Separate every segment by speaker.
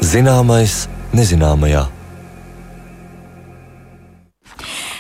Speaker 1: Zināmais nezināmajā.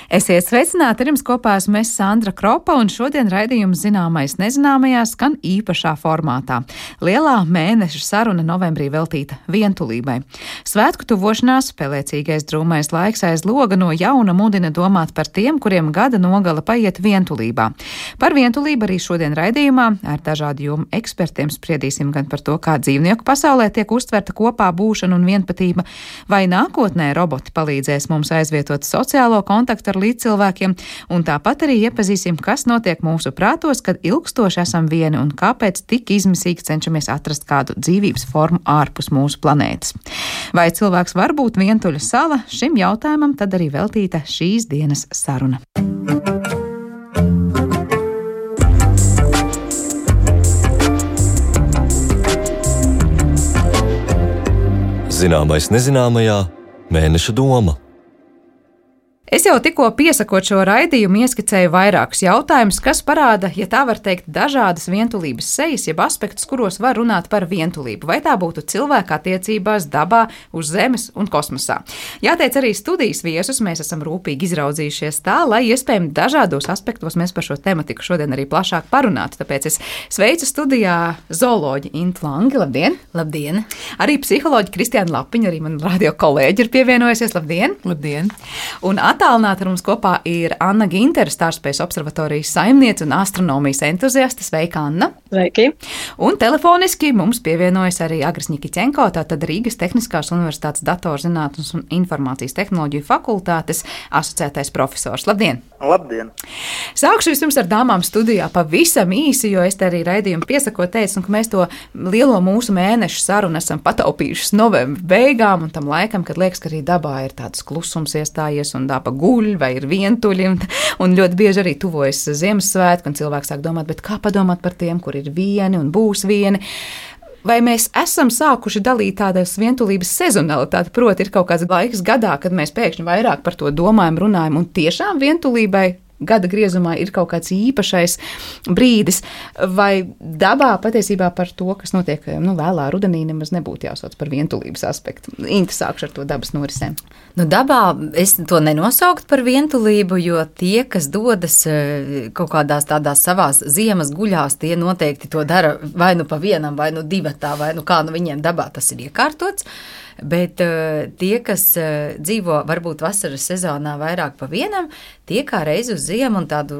Speaker 2: Esiet sveicināti, ar jums kopā esmu Sandra Kropa, un šodien raidījums Zināmais nezināmajā skan īpašā formātā. Lielā mēneša saruna novembrī veltīta vientulībai. Svētku tuvošanās, pelēcīgais drūmais laiks aiz loga no jauna mudina domāt par tiem, kuriem gada nogala paiet vientulībā. Par vientulību arī šodien raidījumā ar dažādu jomu ekspertiem spriedīsim gan par to, kā dzīvnieku pasaulē tiek uztverta kopā būšana un vienpatība, vai nākotnē roboti palīdzēs mums aizvietot sociālo kontaktu ar līdzcilvēkiem, un tāpat arī iepazīsim, kas notiek mūsu prātos, kad ilgstoši esam vieni un kāpēc tik izmisīgi cenšamies atrast kādu dzīvības formu ārpus mūsu planētas. Vai cilvēks var būt vientuļa sala? Šim jautājumam tad arī veltīta šīs dienas saruna.
Speaker 1: Zināmais nezināmajā mēneša doma.
Speaker 2: Es jau tikko piesakot šo raidījumu ieskicēju vairākus jautājumus, kas parāda, ja tā var teikt, dažādas vientulības sejas, jeb aspektus, kuros var runāt par vientulību. Vai tā būtu cilvēka attiecībās, dabā, uz Zemes un kosmosā. Jāteic arī studijas viesus, mēs esam rūpīgi izraudzījušies tā, lai iespējami dažādos aspektos mēs par šo tematiku šodien arī plašāk parunātu. Tāpēc es sveicu studijā zooloģi Intu Langi. Labdien!
Speaker 3: Labdien!
Speaker 2: Arī psiholoģi Kristiāna Lapiņa, arī man radio kolēģi ir pievienojusies. Labdien!
Speaker 3: Labdien!
Speaker 2: Un attālināti ar mums kopā ir Anna Gintere, Stārspējas observatorijas saimniece un astronomijas entuziaste. Sveika, Anna!
Speaker 4: Sveiki!
Speaker 2: Un telefoniski mums pievienojas arī Agris Nikiķenko, tātad Rīgas Tehniskās universitātes datorzinātnes un informācijas tehnoloģiju fakultātes asociētais profesors. Labdien!
Speaker 4: Labdien!
Speaker 2: Sākšu vispirms ar dāmām studijā pavisam īsi, jo es te arī raidījumu piesakot teicu, ka mēs to lielo mūsu mēnešu sarunu esam pataupījušas novembra beigām un tam laikam, kad liekas, ka arī dabā ir tāds klusums iestājies un daba guļ vai ir vientuļi, un ļoti bieži arī tuvojas Ziemassvētki, un cilvēks sāk domāt, bet kā padomāt par tiem, kur ir vieni un būs vieni. Vai mēs esam sākuši dalīt tādas vientulības sezonalitāti, proti ir kaut kāds laiks gadā, kad mēs pēkšņi vairāk par to domājam, runājam, un tiešām vientulībai gada griezumā ir kaut kāds īpašais brīdis, vai dabā patiesībā par to, kas notiek vēlā rudenī, nemaz nebūtu jāsauc par vientulības aspektu. Inta, sākšu ar to dabas norisēm.
Speaker 3: Dabā es to nenosaukt par vientulību, jo tie, kas dodas kaut kādās tādās savās ziemas guļās, tie noteikti to dara vai nu pa vienam, vai nu divatā, vai nu kā viņiem dabā tas ir iekārtots. Bet tie, kas dzīvo varbūt vasaras sezonā vairāk pa vienam, tie kā reiz uz ziemu un tādu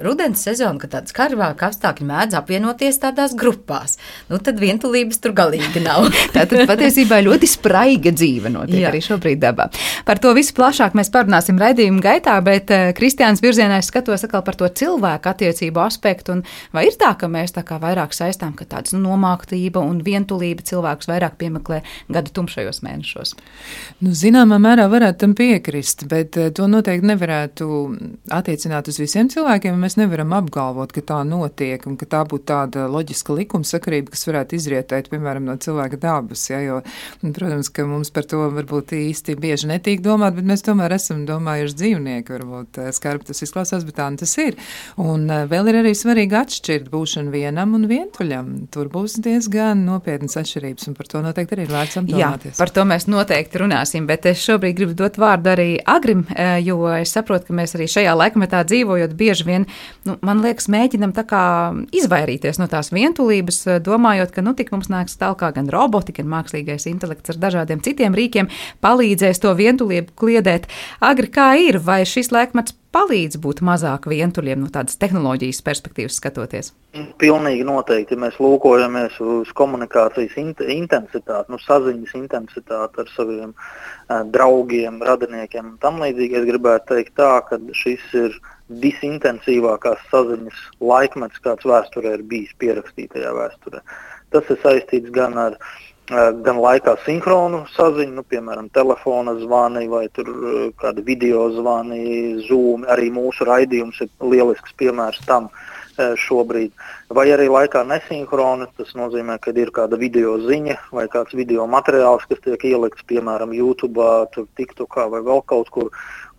Speaker 3: rudens sezonu, kad tāds karvāk apstākļi mēdz apvienoties tādās grupās. Tad vientulības tur galīgi nav.
Speaker 2: Tātad patiesībā ļoti spraiga dzīve notiek arī šobrīd dabā. Par to visu plašāk mēs parunāsim raidījuma gaitā, bet Kristiāns virzienā es skatos atkal par to cilvēku attiecību aspektu, un vai ir tā, ka mēs tā kā vairāk saistām, ka tāds nomāktība un vientulība cilvēkus vairāk piemeklē gada tumšajos mēnešos?
Speaker 5: Zināmā mērā varētu tam piekrist, bet to noteikti nevarētu attiecināt uz visiem cilvēkiem. Mēs nevaram apgalvot, ka tā notiek un ka tā būtu tāda loģiska likumsakarība, kas varētu izrietēt, piemēram, no cilvēka dabas. Ja, jo, protams, ka mums par to varbūt īsti bieži netīk domāt, bet mēs tomēr esam domājuši dzīvnieki. Varbūt skarbi tas izklausās, bet tā tas ir. Un vēl ir arī svarīgi atšķirt būšanu vienam un vientuļam. Tur būs diezgan nopietnas atšķirības, un par to noteikti arī ir vērts apdomāties.
Speaker 2: Par to mēs noteikti runāsim, bet es šobrīd gribu dot vārdu arī Agrim, jo es saprotu, ka mēs arī šajā laikmetā dzīvojot bieži vien, man liekas, mēģinam tā kā izvairīties no tās vientulības, domājot, ka tik mums nāks tālāk gan roboti, gan mākslīgais intelekts ar dažādiem citiem rīkiem palīdzēs to vientulību kliedēt. Agri, kā ir? Vai šis laikmets palīdz būt mazāk vientuļiem no tādas tehnoloģijas perspektīvas skatoties?
Speaker 4: Pilnīgi noteikti, ja mēs lūkojamies uz komunikācijas intensitāti, saziņas intensitāti ar saviem draugiem, radiniekiem un tam līdzīgi, es gribētu teikt tā, ka šis ir disintensīvākās saziņas laikmets, kāds vēsturē ir bijis pierakstītajā vēsturē. Tas ir saistīts gan laikā sinhronu saziņu, piemēram, telefona zvani vai tur kādi video zvani, Zoom, arī mūsu raidījums ir lielisks piemērs tam šobrīd. Vai arī laikā nesinhrona, tas nozīmē, ka ir kāda video ziņa vai kāds video materiāls, kas tiek ielikts, piemēram, YouTube, TikTokā vai vēl kaut kur,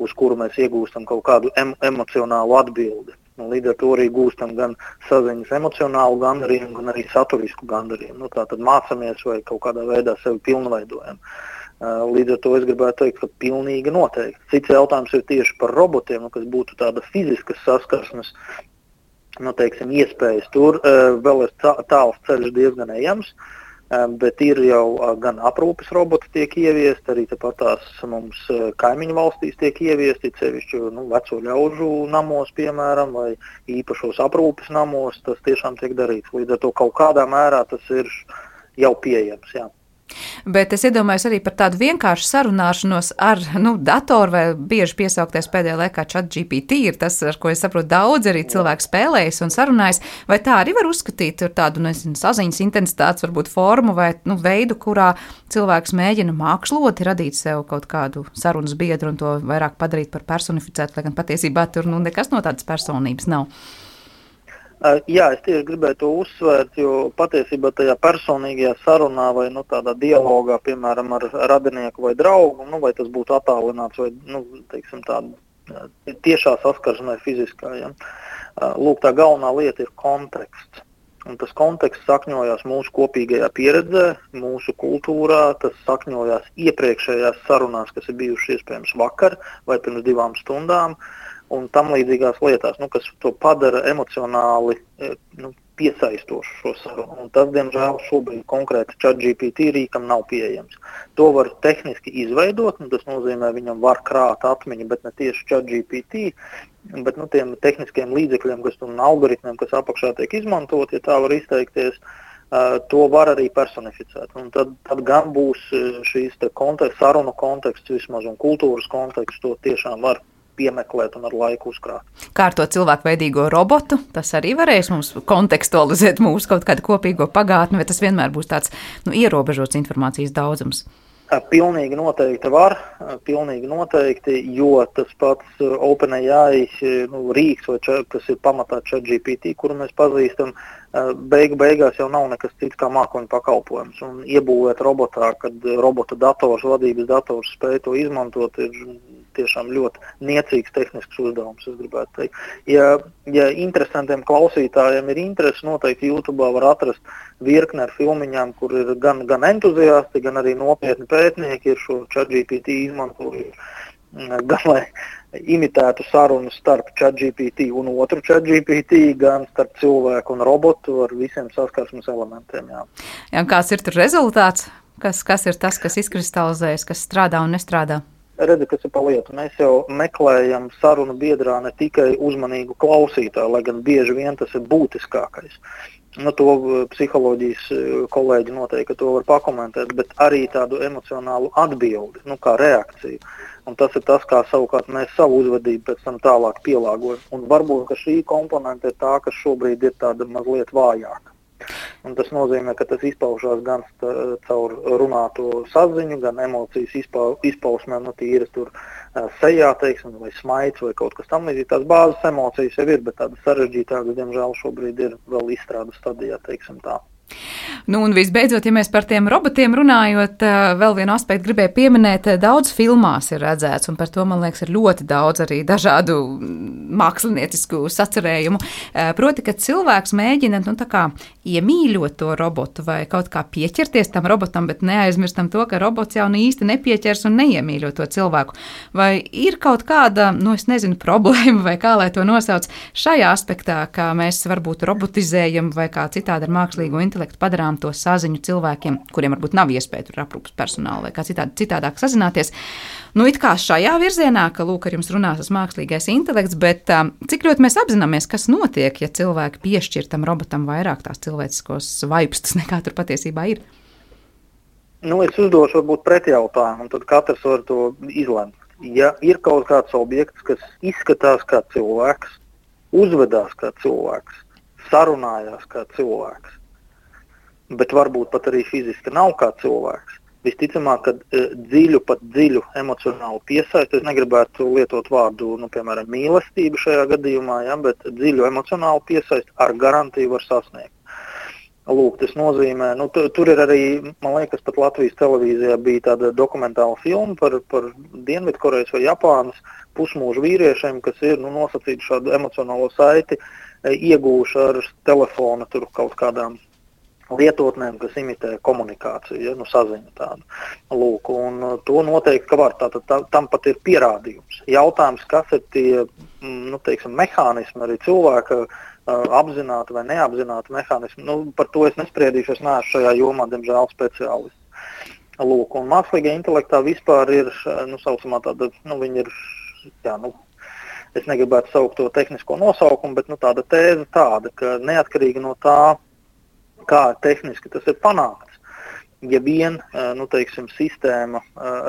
Speaker 4: uz kuru mēs iegūstam kaut kādu emocionālu atbildi. Un līdz ar to arī gūstam gan saziņas emocionālu gandarījumu, gan arī saturisku gandarījumu. Tātad mācamies vai kaut kādā veidā sevi pilnveidojam. Līdz ar to es gribētu teikt, ka pilnīgi noteikti. Cits jautājums ir tieši par robotiem, kas būtu tāda fiziskas saskarsmes, teiksim, iespējas. Tur vēl ir tāls ceļš diezgan ejams. Bet ir jau gan aprūpes roboti tiek ieviesti, arī tepat tās mums kaimiņu valstīs tiek ieviesti, sevišķi veco ļaužu namos, piemēram, vai īpašos aprūpes namos, tas tiešām tiek darīts. Līdz ar to kaut kādā mērā tas ir jau pieejams, jā.
Speaker 2: Bet es iedomājos arī par tādu vienkāršu sarunāšanos ar datoru vai bieži piesaukties pēdējā laikā ChatGPT ir tas, ar ko es saprotu daudz arī cilvēku spēlējas un sarunājas. Vai tā arī var uzskatīt ar tādu, saziņas intensitātes varbūt formu vai veidu, kurā cilvēks mēģina māksloti radīt sev kaut kādu sarunas biedru un to vairāk padarīt par personificētu, lai gan patiesībā tur nekas no tādas personības nav?
Speaker 4: Jā, es tieši gribēju to uzsvērt, jo patiesībā tajā personīgajā sarunā vai tādā dialogā, piemēram, ar radinieku vai draugu, vai tas būtu attālināts vai, teiksim, tāda tiešā saskarsme fiziskā. Ja? Lūk, tā galvenā lieta ir konteksts. Un tas konteksts sakņojās mūsu kopīgajā pieredzē, mūsu kultūrā, tas sakņojās iepriekšējās sarunās, kas ir bijušas iespējams vakar vai pirms 2 stundām. Un tam līdzīgās lietās, kas to padara emocionāli piesaistošu šo sarunu. Un tas, diemžēl, šobrīd konkrēti ChatGPT rīkam nav pieejams. To var tehniski izveidot, un tas nozīmē, viņam var krāt atmiņu, bet ne tieši ChatGPT, bet tiem tehniskiem līdzekļiem, un algoritmiem, kas apakšā tiek izmantot, ja tā var izteikties, to var arī personificēt. Un tad gan būs šīs sarunu konteksts vismaz un kultūras konteksts, to tiešām var piemeklēt un ar laiku uzkrāt.
Speaker 2: Kā ar to cilvēkveidīgo robotu, tas arī varēs mums kontekstualizēt mūsu kaut kādu kopīgo pagātni, vai tas vienmēr būs tāds ierobežots informācijas daudzums?
Speaker 4: Pilnīgi noteikti var, jo tas pats OpenAI rīks, kas ir pamatā ChatGPT, kuru mēs pazīstam, beigās jau nav nekas cits kā mākoņu pakalpojums. Un iebūvēt robotā, kad robota dators, vadības dators spēj to izmantot, ir tiešām ļoti niecīgs tehnisks uzdevums, es gribētu teikt. Ja interesantiem klausītājiem ir interesi, noteikti YouTube var atrast virkni ar filmiņām, kur ir gan entuziasti, gan arī nopietni pētnieki ir šo ChatGPT izmantojuši, gan lai imitētu sarunu starp ChatGPT un otru ChatGPT, gan starp cilvēku un robotu ar visiem saskarsmes elementiem. Jā.
Speaker 2: Jā, kāds ir tur rezultāts? Kas ir tas, kas izkristalizējas, kas strādā un nestrādā?
Speaker 4: Redzi, kas ir pa lietu. Mēs jau meklējam sarunu biedrā ne tikai uzmanīgu klausītāju, lai gan bieži vien tas ir būtiskākais. To psiholoģijas kolēģi noteikti to var pakomentēt, bet arī tādu emocionālu atbildi, kā reakciju. Un tas ir tas, kā savukārt mēs savu uzvedību pēc tam tālāk pielāgojam. Un varbūt, ka šī komponente ir tā, kas šobrīd ir tāda mazliet vājāka. Un tas nozīmē, ka tas izpaužās gan caur runāto saziņu, gan emocijas izpausmēm, tīras tur sejā, teiksim, vai smaids vai kaut kas tam līdzīgi. Tās bāzes emocijas jau ir, bet tādas sarežģītākas, diemžēl, šobrīd ir vēl izstrādes stadijā, teiksim tā.
Speaker 2: Un visbeidzot, ja mēs par tiem robotiem runājot, vēl vienu aspektu gribēju pieminēt, daudz filmās ir redzēts, un par to, man liekas, ir ļoti daudz arī dažādu māksliniecisku sacerējumu. Proti, ka cilvēks mēģina, iemīļot to robotu vai kaut kā pieķerties tam robotam, bet neaizmirstam to, ka robots jau īsti nepieķers un neiemīļo to cilvēku. Vai ir kaut kāda, problēma vai kā lai to nosauc šajā aspektā, kā mēs varbūt robotizējam vai kā citādi ar mākslīgo intelektu padarām to saziņu cilvēkiem, kuriem varbūt nav iespēja tur aprūpes personāla vai kā citādāk sazināties. It kā šajā virzienā, ka lūk, ar jums runās tas mākslīgais intelekts, bet cik ļoti mēs apzināmies, kas notiek, ja cilvēki piešķir tam robotam vairāk tās cilvēciskos vaipstus nekā tur patiesībā ir?
Speaker 4: Es uzdošu varbūt pretjautājumu, un tad katrs var to izlemt. Ja ir kaut kāds objekts, kas izskatās kā cilvēks, uzvedās kā cilvēks, sarunājās kā cilvēks, bet varbūt pat arī fiziski nav kā cilvēks. Visticamāk, ka dziļu emocionālu piesaisti, es negribētu lietot vārdu, piemēram, mīlestība šajā gadījumā, bet dziļu emocionālu piesaisti ar garantiju var sasniegt. Lūk, tas nozīmē, tur ir arī, man liekas, pat Latvijas televīzijā bija tāda dokumentāla filma par Dienvidkorejas vai Japānas pusmūžu vīriešiem, kas ir nosacīti šādu emocionālo saiti, iegūši ar telefona tur kaut kādām lietotnēm, kas imitē komunikāciju, saziņu tādu. Lūk, un to noteikti, ka var, tam pat ir pierādījums. Jautājums, kas ir tie, mehānismi arī cilvēka, apzināti vai neapzināti mehānismi. Par to es nespriedīšu, es neesmu šajā jomā, diemžēl, speciālists. Lūk, un mākslīgā intelektā vispār ir, saucamā tāda, viņa ir, es negribētu saukt to tehnisko nosaukumu, bet tāda tēze tāda, ka neatkarīgi no tā, kā tehniski tas ir panākts, ja vien, sistēma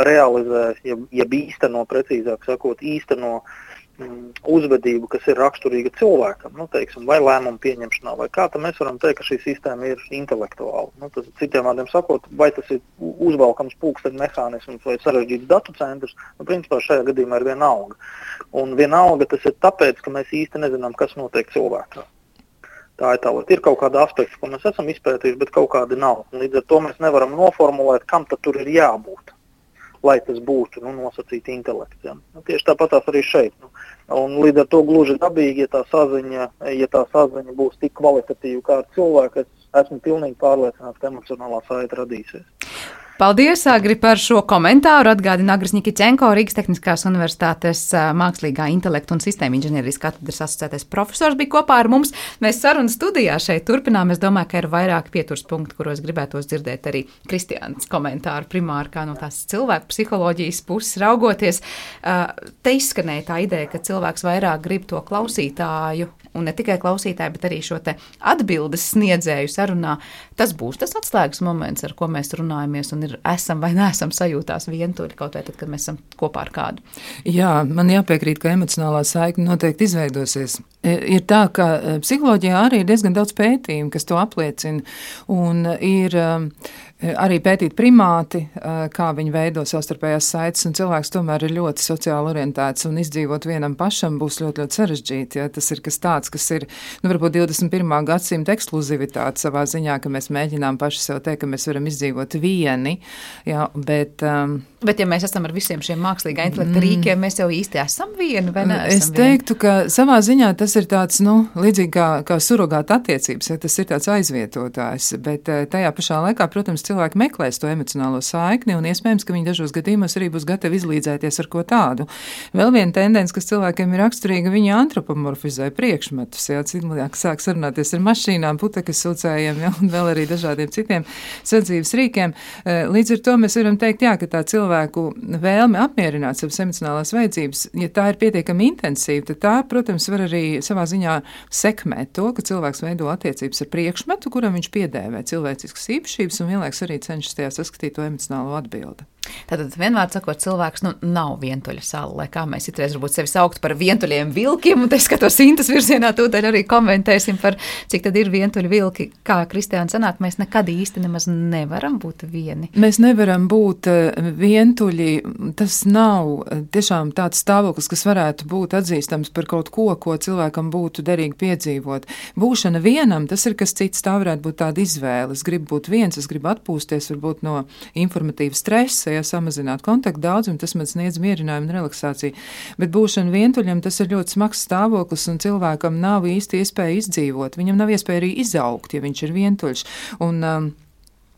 Speaker 4: realizē, ja īsteno, precīzāk sakot, uzvedību, kas ir raksturīga cilvēkam, vai lēmumu pieņemšanā, vai kā, tad mēs varam teikt, ka šī sistēma ir intelektuāla. Tas, citiem vārdiem sakot, vai tas ir uzvalkams pulksteņu mehānisms vai sarežģīts datu centrs, principā šajā gadījumā ir vienalga. Un vienalga tas ir tāpēc, ka mēs īsti nezinām, kas notiek cilvēkā. Tā ir tā lieta. Ir kaut kāda aspekta, ko mēs esam izpētījuši, bet kaut kādi nav. Līdz ar to mēs nevaram noformulēt, kam tad tur ir jābūt, lai tas būtu nosacīti intelekts. Ja. Tieši tāpatās arī šeit. Un līdz ar to gluži dabīgi, ja tā saziņa būs tik kvalitatīva kā ar cilvēku, es esmu pilnīgi pārliecināts, ka emocionālā saite radīsies.
Speaker 2: Paldies, Agri, par šo komentāru. Atgādina Agris Nikičenko, Rīgas Tehniskās universitātes mākslīgā intelekta un sistēma inženierijas katedras asociētais profesors bija kopā ar mums. Mēs sarunas studijā šeit turpinām. Es domāju, ka ir vairāki pieturs punkti, kuros gribētos dzirdēt arī Kristiānas komentāru primāri, kā no tās cilvēku psiholoģijas puses raugoties. Te izskanēja tā ideja, ka cilvēks vairāk grib to klausītāju, un ne tikai klausītāju, bet arī šo te atbildes sniedzēju sarunā. Tas būs tas atslēgas moments, ar ko mēs runājamies, un esam vai neesam sajūtās vientuļi kaut vai tad, kad mēs esam kopā ar kādu.
Speaker 5: Jā, man jāpiekrīt, ka emocionālā saikne noteikti izveidosies. Ir tā, ka psiholoģijā arī ir diezgan daudz pētījumu, kas to apliecina, un ir arī pētīt primāti, kā viņi veido savstarpējās saites, un cilvēks tomēr ir ļoti sociāli orientēts, un izdzīvot vienam pašam būs ļoti, ļoti sarežģīti. Ja? Tas ir kas tāds, kas ir, varbūt 21. gadsimta ekskluzivitāte savā ziņā, ka mēs mēģinām paši sev teikt, ka mēs varam izdzīvot vieni, ja? Bet
Speaker 2: ja mēs esam ar visiem šiem mākslīgā intelekta rīkiem, mēs jau īsti esam vieni, vai neesam
Speaker 5: vieni? Es teiktu, ka savā ziņā tas ir tāds, līdzīgi kā surogāta attiecības, ja tas ir tāds aizvietotājs, bet tajā pašā laikā, protams, cilvēki meklēs to emocionālo saikni, un iespējams, ka viņi dažos gadījumos arī būs gatavi izlīdzēties ar ko tādu. Vēl viena tendence, kas cilvēkiem ir raksturīga, viņi antropomorfizē priekšmetus, ja cilvēki sāk sarunāties ar mašīnām, putekas sūcējiem, ja, un vēl arī dažādiem citiem sadzīves rīkiem. Līdz ar to mēs varam teikt, jā, ka tā cilvēku vēlme apmierināt savas emocionālās vajadzības, ja tā ir pietiekami intensīva, tad tā, protams, var arī savā ziņā sekmēt to, ka cilvēks veido attiecības ar priekšmetu, kuram viņš piedēvē cilvēciskas īpašības un vienlaiks arī cenšas tajā saskatīt to emocionālo atbildi.
Speaker 2: Tātad vienmēr sakot, cilvēks nav vientuļa sala, lai kā mēs itreiz varbūt sevi sauktu par vientuļiem vilkiem, un te skatos Intas virzienā, tūdaļ arī komentēsim par, cik tad ir vientuļi vilki. Kā Kristiāna sanāk, mēs nekad īsti nemaz nevaram būt vieni.
Speaker 5: Mēs nevaram būt vientuļi, tas nav tiešām tāds stāvoklis, kas varētu būt atzīstams par kaut ko, ko cilvēkam būtu derīgi piedzīvot. Būšana vienam, tas ir kas cits, tā varētu būt tāda izvēle. Es gribu būt viens, es gribu atpūsties varbūt no informatīva stresa, ja samazināt kontaktu daudzumu, tas man sniedz mierinājumu un relaksāciju. Bet būšana vientuļam, tas ir ļoti smags stāvoklis, un cilvēkam nav īsti iespēja izdzīvot. Viņam nav iespēja arī izaugt, ja viņš ir vientuļš. Un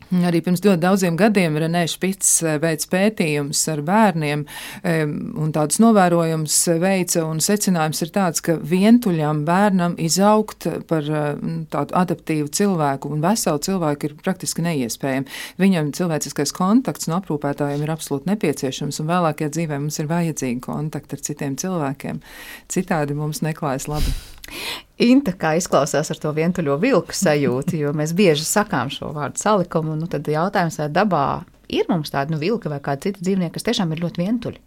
Speaker 5: arī pirms ļoti daudziem gadiem Renē Špits veids pētījums ar bērniem un tādus novērojums veica, un secinājums ir tāds, ka vientuļam bērnam izaugt par tādu adaptīvu cilvēku un veselu cilvēku ir praktiski neiespējami. Viņam cilvēciskais kontakts no aprūpētājiem ir absolūti nepieciešams, un vēlākajā dzīvē mums ir vajadzīgi kontakti ar citiem cilvēkiem. Citādi mums neklājas labi.
Speaker 2: Inta, kā izklausās ar to vientuļo vilku sajūtu, jo mēs bieži sakām šo vārdu salikumu, tad jautājums, vai dabā ir mums tādi vilka vai kādi citi dzīvnieki, kas tiešām ir ļoti vientuļi?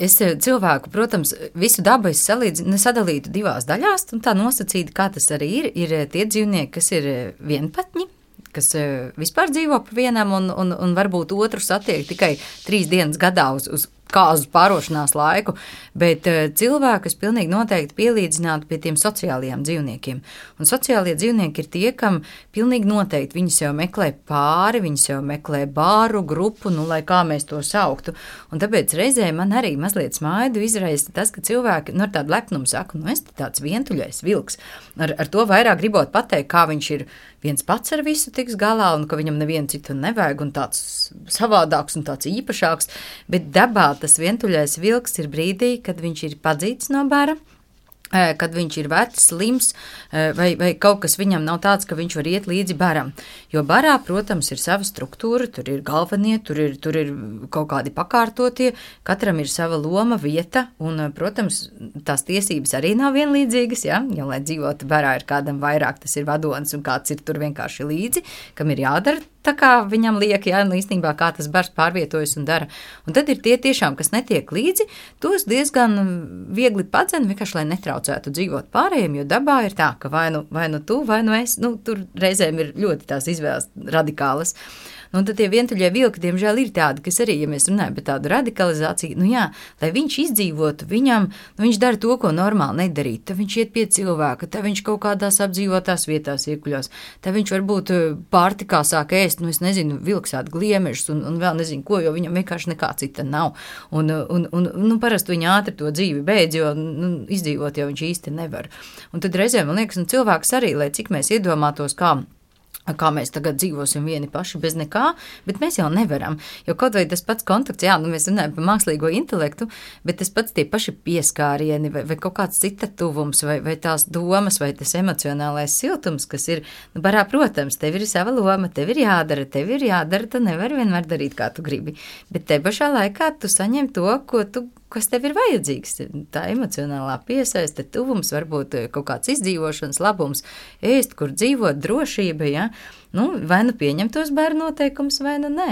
Speaker 3: Es cilvēku, protams, visu dabu es sadalītu divās daļās, un tā nosacīta, kā tas arī ir tie dzīvnieki, kas ir vienpatņi, kas vispār dzīvo pa vienam un varbūt otru satiek tikai 3 dienas gadā uz kāzu pārošanās laiku, bet cilvēkus pilnīgi noteikti pielīdzinātu pie tiem sociālajiem dzīvniekiem. Un sociālie dzīvnieki ir tie, kam pilnīgi noteikti viņi sev meklē pāri, viņi sev meklē bāru, grupu, nu, lai kā mēs to sauktu. Un tāpēc reizē man arī mazliet smaidu izraisa tas, ka cilvēki ar tādu lepnumu saka, es te tāds vientuļais vilks. Ar to vairāk gribot pateikt, kā viņš ir viens pats ar visu tiks galā un ka viņam nevienu citu nevajag un tāds savādāks un tāds īpašāks, bet dabā tas vientuļais vilks ir brīdī, kad viņš ir padzīts no bara, kad viņš ir vecs, slims, vai kaut kas viņam nav tāds, ka viņš var iet līdzi baram. Jo barā, protams, ir sava struktūra, tur ir galvenie, tur ir kaut kādi pakārtotie, katram ir sava loma, vieta, un, protams, tās tiesības arī nav vienlīdzīgas, ja? Jo, lai dzīvotu barā, ir kādam vairāk, tas ir vadonis, un kāds ir tur vienkārši līdzi, kam ir jādara tā kā viņam liek, ja, īstenībā kā tas bars pārvietojas un dara. Un tad ir tie tiešām, kas netiek līdzi, tos diezgan viegli padzen, vienkārši, lai netraucētu dzīvot pārējiem, jo dabā ir tā, ka vai nu tu, vai nu es, tur reizēm ir ļoti tās izvēles radikālas. Un tad tie vientuļie vilki, diemžēl, ir tādi, kas arī, ja mēs runājam par tādu radikalizāciju, lai viņš izdzīvotu, viņš dara to, ko normāli nedarīt. Tad viņš iet pie cilvēka, tad viņš kaut kādās apdzīvotās vietās iekuļos, tad viņš varbūt pārtikā sāk ēst, es nezinu, vilksāt gliemešus un vēl nezinu ko, jo viņam vienkārši nekā cita nav. Un parasti viņa ātri to dzīvi beidz, jo izdzīvot jau viņš īsti nevar. Un tad reizēm, man liekas, cilvēks arī, lai cik mēs iedomātos, kā mēs tagad dzīvosim vieni paši bez nekā, bet mēs jau nevaram. Jo kaut vai tas pats kontakts, mēs runājam par mākslīgo intelektu, bet tas pats tie paši pieskārieni vai kaut kāds cita tuvums vai tās domas vai tas emocionālais siltums, kas ir, barā, protams, tev ir sava loma, tev ir jādara, tu nevari vienmēr darīt, kā tu gribi. Bet te pašā laikā tu saņem to, kas tev ir vajadzīgs. Tā emocionālā piesaiste, tuvums, varbūt kaut kāds izdzīvošanas labums, ēst, kur dzīvot, drošība, ja? Vai nu pieņem tos bērnu noteikumus, vai nu nē.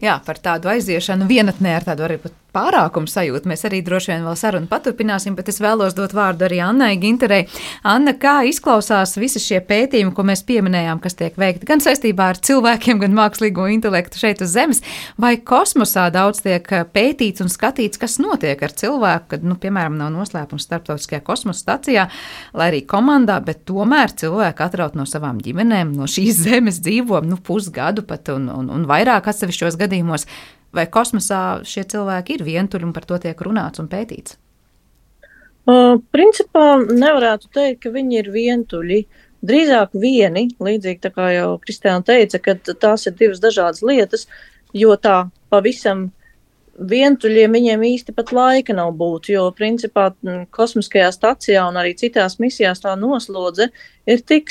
Speaker 2: Jā, par tādu aiziešanu vienatnē ar tādu arī pat pārākumu sajūtu. Mēs arī droši vien vēl sarunu paturpināsim, bet es vēlos dot vārdu arī Annai Ginterei. Anna, kā izklausās visi šie pētījumi, ko mēs pieminējām, kas tiek veikti gan saistībā ar cilvēkiem, gan mākslīgo intelektu šeit uz Zemes, vai kosmosā daudz tiek pētīts un skatīts, kas notiek ar cilvēku, kad, piemēram, nav noslēpums starptautiskajā kosmosa stacijā, lai arī komandā, bet tomēr cilvēki atraut no savām ģimenēm, no šīs Zemes dzīvo, pusgadu pat un vairāk atsevišķos gadījumos. Vai kosmosā šie cilvēki ir vientuļi un par to tiek runāts un pētīts?
Speaker 6: Principā nevarētu teikt, ka viņi ir vientuļi. Drīzāk vieni, līdzīgi tā kā jau Kristiāna teica, ka tās ir divas dažādas lietas, jo tā pavisam vientuļiem viņiem īsti pat laika nav būt, jo principā kosmiskajā stacijā un arī citās misijās tā noslodze ir tik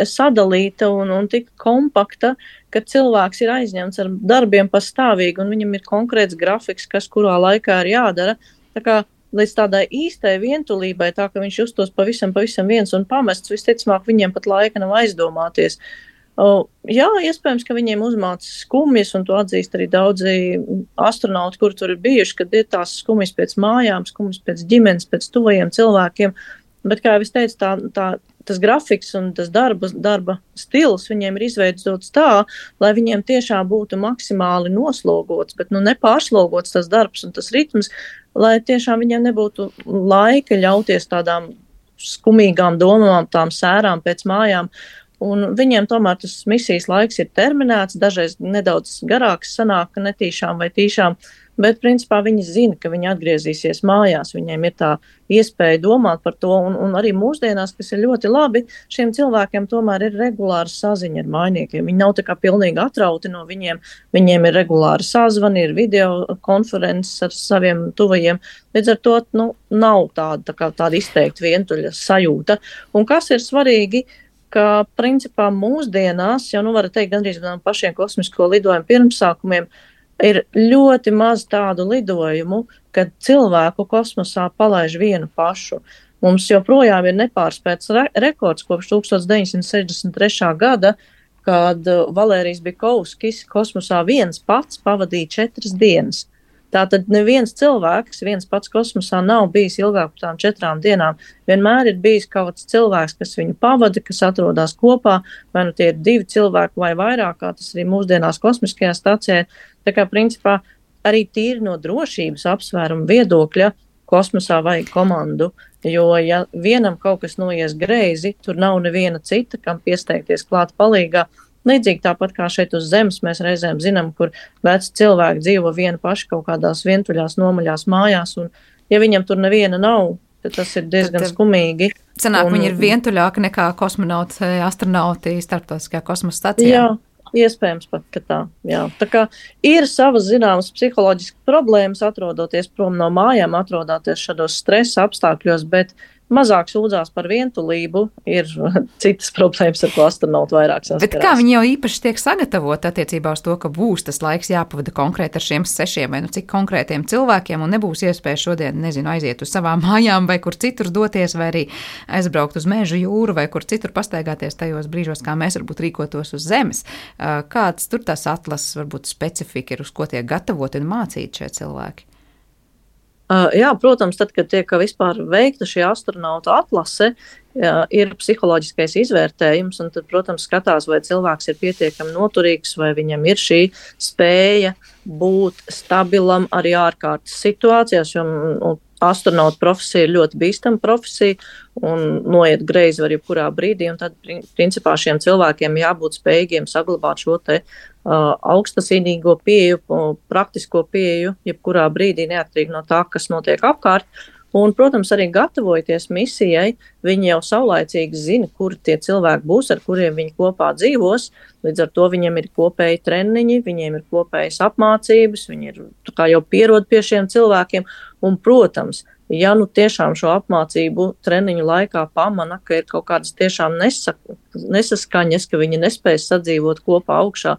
Speaker 6: sadalīta un tik kompakta, ka cilvēks ir aizņemts ar darbiem pastāvīgi un viņam ir konkrēts grafiks, kas kurā laikā ir jādara. Tā kā līdz tādai īstai vientulībai, tā ka viņš justos pavisam viens un pamests, visticamāk viņiem pat laika nav aizdomāties. Jā, iespējams, ka viņiem uzmāca skumjas, un to atzīst arī daudzi astronauti, kur tur ir bijuši, kad ir tās skumjas pēc mājām, skumjas pēc ģimenes, pēc tuvajiem cilvēkiem. Bet, kā jau es teicu, tas grafiks un tas darba stils viņiem ir izveidots tā, lai viņiem tiešām būtu maksimāli noslogots, bet nepārslogots tas darbs un tas ritms, lai tiešām viņiem nebūtu laika ļauties tādām skumīgām domām, tām sērām pēc mājām. Un viņiem tomēr tas misijas laiks ir terminēts, dažreiz nedaudz garāks sanāk, netīšām vai tīšām, bet principā viņi zina, ka viņi atgriezīsies mājās, viņiem ir tā iespēja domāt par to, un arī mūsdienās, kas ir ļoti labi, šiem cilvēkiem tomēr ir regulāra saziņa ar mājniekiem. Viņi nav tā kā pilnīgi atrauti no viņiem ir regulāra sazvani, ir video konferences ar saviem tuvajiem, līdz ar to nav tāda izteikti vientuļa sajūta. Un kas ir svarīgi, ka principā mūsdienās, jau varat teikt gandrīz no pašiem kosmisko lidojumu pirmsākumiem, ir ļoti maz tādu lidojumu, kad cilvēku kosmosā palaiž vienu pašu. Mums joprojām ir nepārspēts rekords kopš 1963. gada, kad Valērijs Bikovskis kosmosā viens pats pavadīja 4 dienas. Tātad neviens cilvēks, viens pats kosmosā nav bijis ilgāk par tām 4 dienām. Vienmēr ir bijis kāds cilvēks, kas viņu pavada, kas atrodas kopā, vai tie ir 2 cilvēki vai vairāk, kā tas arī mūsdienās kosmiskajā stacijā. Tā kā principā arī tīri no drošības apsvērumu viedokļa kosmosā vajag komandu, jo ja vienam kaut kas noies greizi, tur nav neviena cita, kam piesteigties klāt palīgā. Līdzīgi tāpat kā šeit uz Zemes mēs reizēm zinām, kur veci cilvēki dzīvo vieni paši kaut kādās vientuļās, nomaļās mājās, un ja viņam tur neviena nav, tad tas ir diezgan skumīgi.
Speaker 2: Sanāk, viņi ir vientuļāki nekā kosmonauti, astronauti starptautiskajā kosmosa stacijā.
Speaker 6: Jā, iespējams pat, ka tā. Jā. Tā kā ir savas zināmas psiholoģiskas problēmas, atrodoties prom no mājām, atrodoties šādos stresa apstākļos, bet mazāk sūdzās par vientulību, ir citas problēmas, ar ko astronauti vairāk saskarās.
Speaker 2: Bet kā viņi jau īpaši tiek sagatavoti attiecībā uz to, ka būs tas laiks jāpavada konkrēti ar šiem 6 vai cik konkrētiem cilvēkiem un nebūs iespēja šodien, aiziet uz savām mājām vai kur citur doties vai arī aizbraukt uz mežu, jūru vai kur citur pastaigāties tajos brīžos, kā mēs varbūt rīkotos uz Zemes. Kāds tur tās atlases, varbūt specifika ir, uz ko tiek gatavoti un mācīti šie cilvēki?
Speaker 6: Jā, protams, tad, kad tiek vispār veikta šī astronauta atlase, ir psiholoģiskais izvērtējums, un tad, protams, skatās, vai cilvēks ir pietiekami noturīgs, vai viņam ir šī spēja būt stabilam arī ārkārtas situācijās, jo astronauta profesija ir ļoti bīstama profesija un noiet greizi var jebkurā brīdī, un tad, principā, šiem cilvēkiem jābūt spējīgiem saglabāt šo te augstasinīgo pieeju, praktisko pieeju, jebkurā brīdī, neatkarīgi no tā, kas notiek apkārt. Un, protams, arī gatavojoties misijai, viņi jau saulaicīgi zina, kuri tie cilvēki būs, ar kuriem viņi kopā dzīvos. Līdz ar to viņiem ir kopēji treniņi, viņiem ir kopējas apmācības, viņi ir jau pierod pie šiem cilvēkiem. Un, protams, ja tiešām šo apmācību treniņu laikā pamana, ka ir kaut kādas tiešām nesaskaņas, ka viņi nespēj sadzīvot kopā augšā,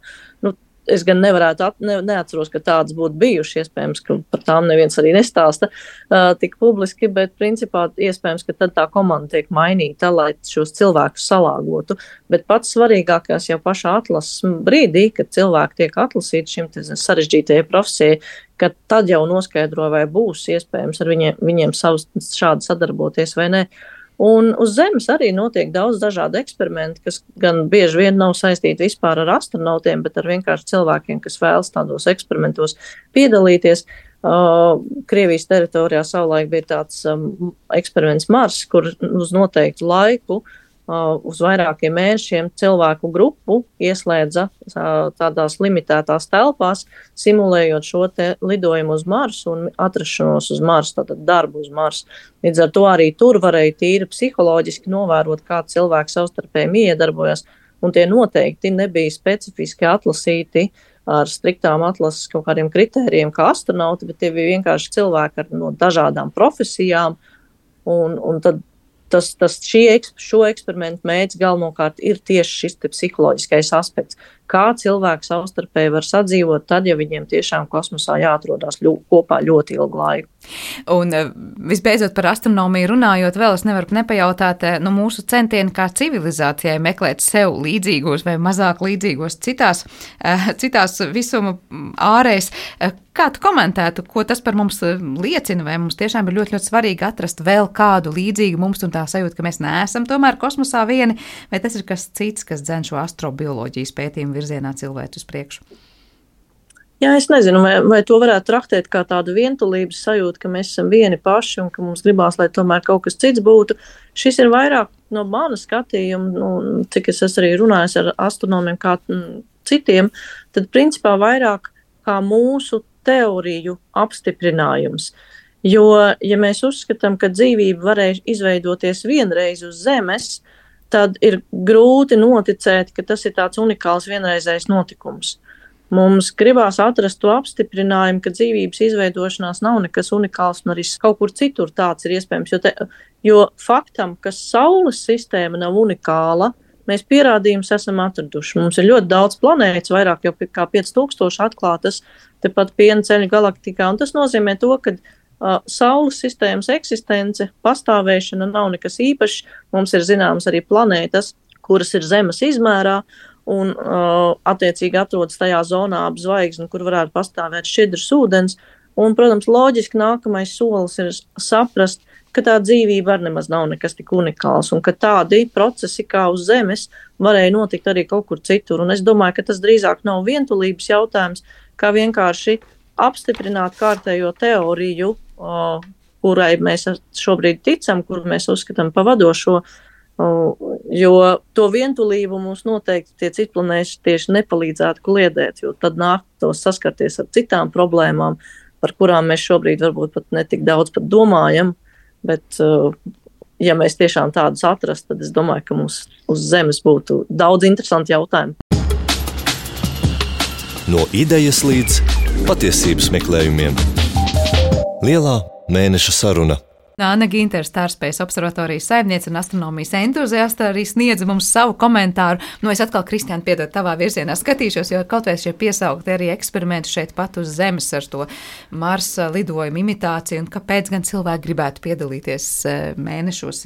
Speaker 6: es gan neatceros, ka tādas būtu bijušas, iespējams, ka par tām neviens arī nestāsta tik publiski, bet principā iespējams, ka tad tā komanda tiek mainīta, lai šos cilvēkus salāgotu. Bet pats svarīgākais jau pašā atlases brīdī, kad cilvēki tiek atlasīti šim sarežģītajai profesijai, ka tad jau noskaidro, vai būs iespējams ar viņiem šādi sadarboties vai ne. Un uz Zemes arī notiek daudz dažādu eksperimentu, kas gan bieži vien nav saistīti vispār ar astronautiem, bet ar vienkārši cilvēkiem, kas vēlas tādos eksperimentos piedalīties. Krievijas teritorijā savulaik bija tāds eksperiments Mars, kur uz noteiktu laiku uz vairākiem mēnešiem cilvēku grupu ieslēdza tādās limitētās telpās, simulējot šo te lidojumu uz Marsu un atrašanos uz Marsu, tātad darbu uz Marsu. Līdz ar to arī tur varēja tīri psiholoģiski novērot, kā cilvēki savstarpēji iedarbojas, un tie noteikti nebija specifiski atlasīti ar striktām atlases kaut kādiem kritērijiem kā astronauti, bet tie bija vienkārši cilvēki no dažādām profesijām, un tad šo eksperimentu mērķis galvenokārt ir tieši šis psiholoģiskais aspekts. Kā cilvēki savstarpēji var sadzīvot tad, ja viņiem tiešām kosmosā jāatrodās kopā ļoti ilgu laiku.
Speaker 2: Un visbeidzot par astronomiju runājot, vēl es nevaru nepajautāt, mūsu centieni kā civilizācijai meklēt sev līdzīgos vai mazāk līdzīgos citās visuma ārēs. Kā tu komentētu, ko tas par mums liecina, vai mums tiešām ir ļoti, ļoti svarīgi atrast vēl kādu līdzīgu mums un tā sajūta, ka mēs neesam tomēr kosmosā vieni, vai tas ir kas cits, kas dzen šo astrobioloģijas pētījumu virzienā cilvēku uz priekšu?
Speaker 6: Jā, es nezinu, vai to varētu traktēt kā tādu vientulības sajūtu, ka mēs esam vieni paši un ka mums gribās, lai tomēr kaut kas cits būtu. Šis ir vairāk no mana skatījuma, cik es esmu arī runājis ar astronomiem kā citiem, tad principā vairāk kā mūsu teoriju apstiprinājums. Jo, ja mēs uzskatām, ka dzīvība varēja izveidoties vienreiz uz Zemes, tad ir grūti noticēt, ka tas ir tāds unikāls vienreizējs notikums. Mums gribās atrast to apstiprinājumu, ka dzīvības izveidošanās nav nekas unikāls un arī kaut kur citur tāds ir iespējams. Jo faktam, ka Saules sistēma nav unikāla, mēs pierādījumus esam atraduši. Mums ir ļoti daudz planētas, vairāk jau kā 5000 atklātas tepat Piena ceļa galaktikā, un tas nozīmē to, ka Saules sistēmas eksistence, pastāvēšana nav nekas īpašs. Mums ir zināmas arī planētas, kuras ir Zemes izmērā, un attiecīgi atrodas tajā zonā ap zvaigzni, kur varētu pastāvēt šķidrs ūdens. Un, protams, loģiski nākamais solis ir saprast, ka tā dzīvība arī nemaz nav nekas tik unikāls, un ka tādi procesi kā uz Zemes varēja notikt arī kaut kur citur. Un es domāju, ka tas drīzāk nav vientulības jautājums, kā vienkārši apstiprināt kārtējo teoriju, kurai mēs šobrīd ticam, kuru mēs uzskatām pa vadošo, jo to vientulību mums noteikti tie citplanēši tieši nepalīdzētu kliedēt, jo tad nāktos saskarties ar citām problēmām, par kurām mēs šobrīd varbūt pat netik daudz pat domājam, bet ja mēs tiešām tādus atrastu, tad es domāju, ka mums uz Zemes būtu daudz interesanti jautājumi.
Speaker 1: No idejas līdz patiesības meklējumiem. Lielā mēneša saruna.
Speaker 2: Anna Gintere, Stārspējas observatorijas saimniece un astronomijas entuziasta, arī sniedza mums savu komentāru. Es atkal, Kristiāna, piedod tavā virzienā skatīšos, jo kaut vai šie piesaukti arī eksperimenti šeit pat uz Zemes ar to Marsa lidojumu imitāciju, un kāpēc gan cilvēki gribētu piedalīties mēnešos,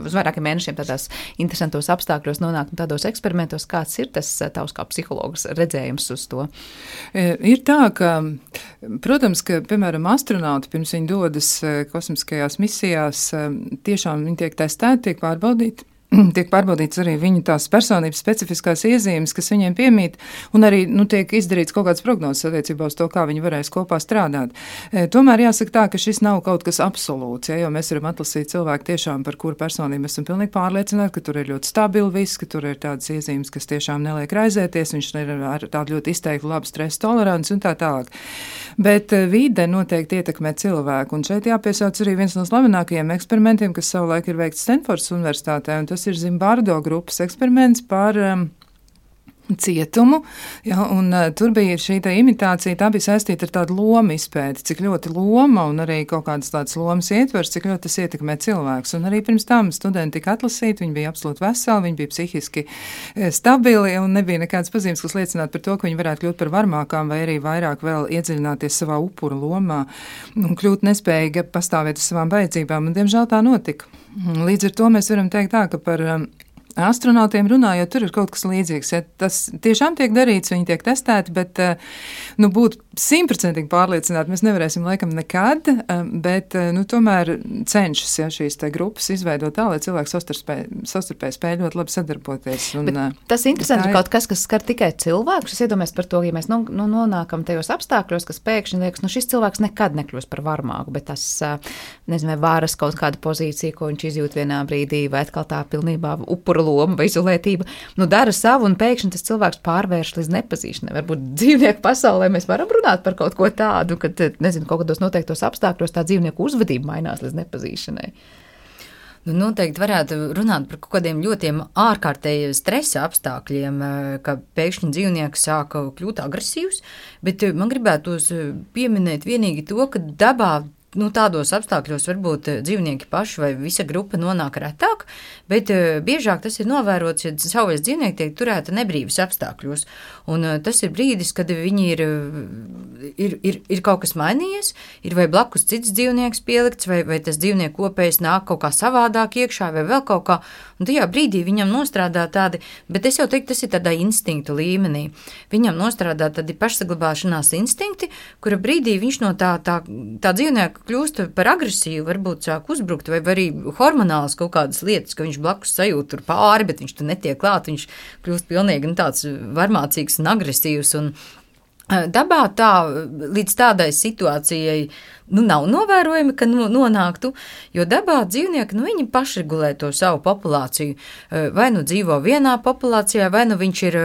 Speaker 2: uz vairākiem mēnešiem tādās interesantos apstākļos nonākt un tādos eksperimentos. Kāds ir tas tavs kā psihologs redzējums uz to?
Speaker 5: Ir tā, ka, protams, ka, piemēram, astronauti pirms viņi dodas kosmiskajās misijās, tiešām viņi tiek testēti, tiek pārbaudīti. Tiek pārbaudīts arī viņu tās personības specifiskās iezīmes, kas viņiem piemīt, un arī tiek izdarīts kaut kāds prognozes attiecībā uz to, kā viņi varēs kopā strādāt. Tomēr jāsaka tā, ka šis nav kaut kas absolūts, jo mēs varam atlasīt cilvēku tiešām, par kuru personību esam pilnīgi pārliecināti, ka tur ir ļoti stabili viss, ka tur ir tādas iezīmes, kas tiešām neliek raizēties, viņš ir ar tādu ļoti izteiktu labu stresa toleranci un tā tālāk. Bet vide noteikti ietekmē cilvēku, un šeit jāpiesauc arī viens no slavenākajiem eksperimentiem, kas savulaik ir veikts Stanfordas universitātē, un tas ir Zimbardo grupas eksperiments par cietumu, un tur bija šī imitācija, tā bija saistīta ar tādu lomu izpēti, cik ļoti loma un arī kaut kādas tādas lomas ietvers, cik ļoti tas ietekmē cilvēks. Un arī pirms tam studenti tika atlasīti, viņi bija absolūti veseli, viņi bija psihiski stabili un nebija nekādas pazīmes, kas liecinātu par to, ka viņi varētu kļūt par varmākām vai arī vairāk vēl iedziļināties savā upura lomā un kļūt nespējīgi pastāvēt uz savām vajadzībām, un diemžēl tā notika. Līdz ar to mēs varam teikt tā, ka par astronautiem runājot, tur ir kaut kas līdzīgs. Ja tas tiešām tiek darīts, viņi tiek testēti, bet būt 100% pārliecināti mēs nevarēsim laikam nekad, bet tomēr cenšas šīs te grupas izveidot tā, lai cilvēki savstarpēji spēj ļoti labi sadarboties.
Speaker 2: Tas interesanti ir kaut kas, kas skar tikai cilvēkus. Es iedomājos par to, ja mēs nonākam tajos apstākļos, kas pēkšņi liekas, šis cilvēks nekad nekļūs par varmāku, bet tas, nezinu, vai varas kaut kāda pozīcija, ko viņš izjūt vienā brīdī, vai atkal tā pilnībā upura loma vai izolētība, dara savu, un pēkšņi tas cilvēks pārvērš līdz nepazīšanai. Varbūt dzīvnieku pasaulē mēs varam runāt par kaut ko tādu, kad, nezinu, kaut kādos noteiktos apstākļos tā dzīvnieku uzvedība mainās līdz nepazīšanai.
Speaker 3: Noteikti varētu runāt par kaut kādiem ļoti ārkārtējiem stresa apstākļiem, ka pēkšņi dzīvnieks sāka kļūt agresīvs, bet man gribētos pieminēt vienīgi to, ka dabā tādos apstākļos varbūt dzīvnieki paši vai visa grupa nonāk retāk, bet biežāk tas ir novērots, ja savvaļas dzīvnieki tiek turēti nebrīvas apstākļos. Un tas ir brīdis, kad viņi ir kaut kas mainījies, ir vai blakus cits dzīvnieks pielikts, vai tas dzīvnieku kopējs nāk kaut kā savādāk iekšā, vai vēl kaut kā. Un tajā brīdī viņam nostrādā tādi, bet es jau teiktu, tas ir tādā instinktu līmenī. Viņam nostrādā tādi pašsaglabāšanās instinkti, kura brīdī viņš no tā dzīvnieka kļūst par agresīvu, varbūt sāk uzbrukt, vai arī hormonāls kaut kādas lietas, ka viņš blakus sajūt tur pāri, bet viņš tur netiek klāt, viņš kļūst pilnīgi tāds varmācīgs un agresīvs. Un dabā līdz tādai situācijai nav novērojami, ka nonāktu, jo dabā dzīvnieki, viņi pašregulē to savu populāciju. Vai dzīvo vienā populācijā, vai viņš ir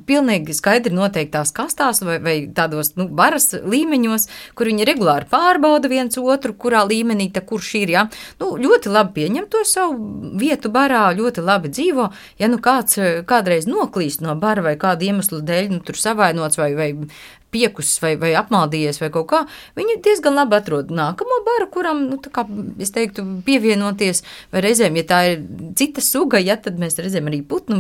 Speaker 3: pilnīgi skaidri noteiktās kastās vai tādos varas līmeņos, kur viņi regulāri pārbauda viens otru, kurā līmenī kurš ir, ja. Ļoti labi pieņem to savu vietu barā, ļoti labi dzīvo. Ja kāds kādreiz noklīst no bara vai kādu iemeslu dēļ, tur savainots vai piekusis vai apmaldījies vai kaut kā, viņi diezgan labi atrod nākamo baru, kuram, es teiktu, pievienoties, vai reizēm, ja tā ir cita suga, tad mēs redzam arī putnu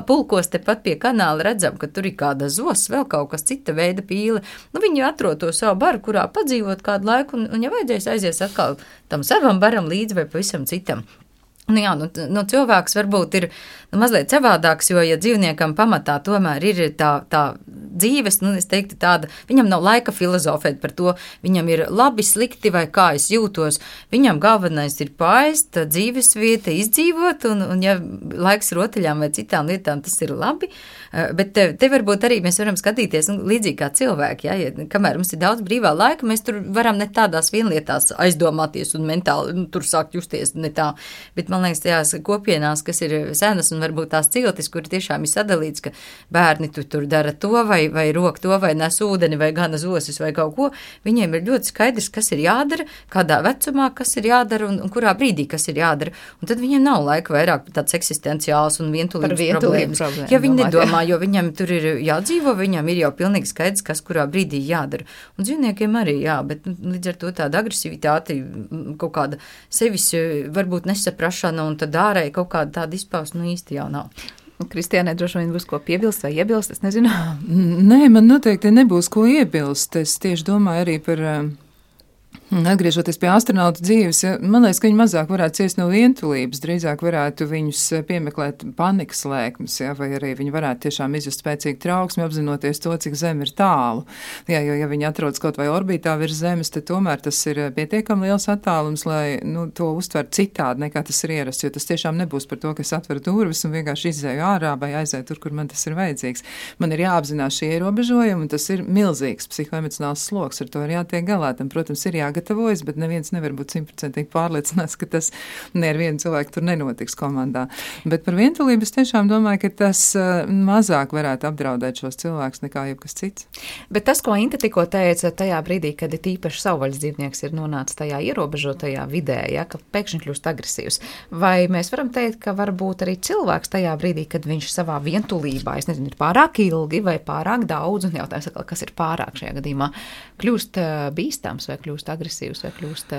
Speaker 3: pulkos tepat pie kanāla, redzam, ka tur ir kāda zos, vēl kaut kas cita veida pīle. Viņi atrod to savu baru, kurā padzīvot kādu laiku, un ja vajadzēs aizies atkal tam savam baram līdzi vai pavisam citam. Cilvēks varbūt ir mazliet savādāks, jo, ja dzīvniekam pamatā tomēr ir tā dzīves, es teiktu tāda, viņam nav laika filozofēt par to, viņam ir labi, slikti vai kā es jūtos, viņam galvenais ir paēst, dzīves vieta izdzīvot, un ja laiks rotaļām vai citām lietām, tas ir labi, bet te varbūt arī mēs varam skatīties līdzīgi kā cilvēki, ja kamēr mums ir daudz brīvā laika, mēs tur varam ne tādās vienlietās aizdomāties un mentāli tur sākt justies ne tā, bet man liekas, tajās kopienās, kas ir senas un varbūt tās ciltis, kur tiešām ir sadalīts, ka bērni tur dara to vai rok to vai nes ūdeni vai gana zosis vai kaut ko, viņiem ir ļoti skaidrs, kas ir jādara, kādā vecumā, kas ir jādara un kurā brīdī, kas ir jādara, un tad viņiem nav laika vairāk tāds eksistenciāls un vientulības problēmas. Ja viņi nedomā, jo viņam tur ir jādzīvo, viņam ir jau pilnīgi skaidrs, kas kurā brīdī jādara. Un dzīvniekiem arī, jā, bet līdz ar to tāda agresivitāte, kaut kāda sevis varbūt nesaprašana un tad ārēji kaut kāda tāda izpausme, īsti jau nav.
Speaker 2: Kristiānai droši vien būs ko piebilst vai iebilst, es nezinu.
Speaker 5: Nē, man noteikti nebūs ko iebilst. Es tieši domāju arī par... Atgriežoties pie astronautu dzīves, man liekas, ka viņi mazāk varētu ciest no vientulības, drīzāk varētu viņus piemeklēt panikas lēkmes, vai arī viņi varētu tiešām izjust spēcīgu trauksmi, apzinoties to, cik Zeme ir tālu. Jo, ja viņi atrodas kaut vai orbītā virs Zemes, tad tomēr tas ir pietiekami liels attālums, lai to uztver citādi, nekā tas ir ierasts, jo tas tiešām nebūs par to, ka es atveru durvis un vienkārši izēju ārā vai aizēju tur, kur man tas ir vajadzīgs. Man ir jāapzinās šie ierobežojumi, un tas ir milzīgs psihoemocionāls sloks, ar to ir jātiek galā. Tam, protams, ir jāgatavojas, bet neviens nevar būt 100% pārliecināts, ka tas ne ar vienu cilvēku tur nenotiks komandā. Bet par vientulību es tiešām domāju, ka tas mazāk varētu apdraudēt šos cilvēkus nekā jebkas cits.
Speaker 2: Bet tas, ko Inte tikko teica tajā brīdī, kad ir tīpaši savvaļas dzīvnieks ir nonācis tajā ierobežotajā vidē, ja, ka pēkšņi kļūst agresīvs, vai mēs varam teikt, ka varbūt arī cilvēks tajā brīdī, kad viņš savā vientulībā, es nezinu, ir pārāk ilgi vai pārāk daudz, un jautājums, kas ir pārāk šajā gadījumā, kļūst bīstams vai kļūst agresīvs vai kļūst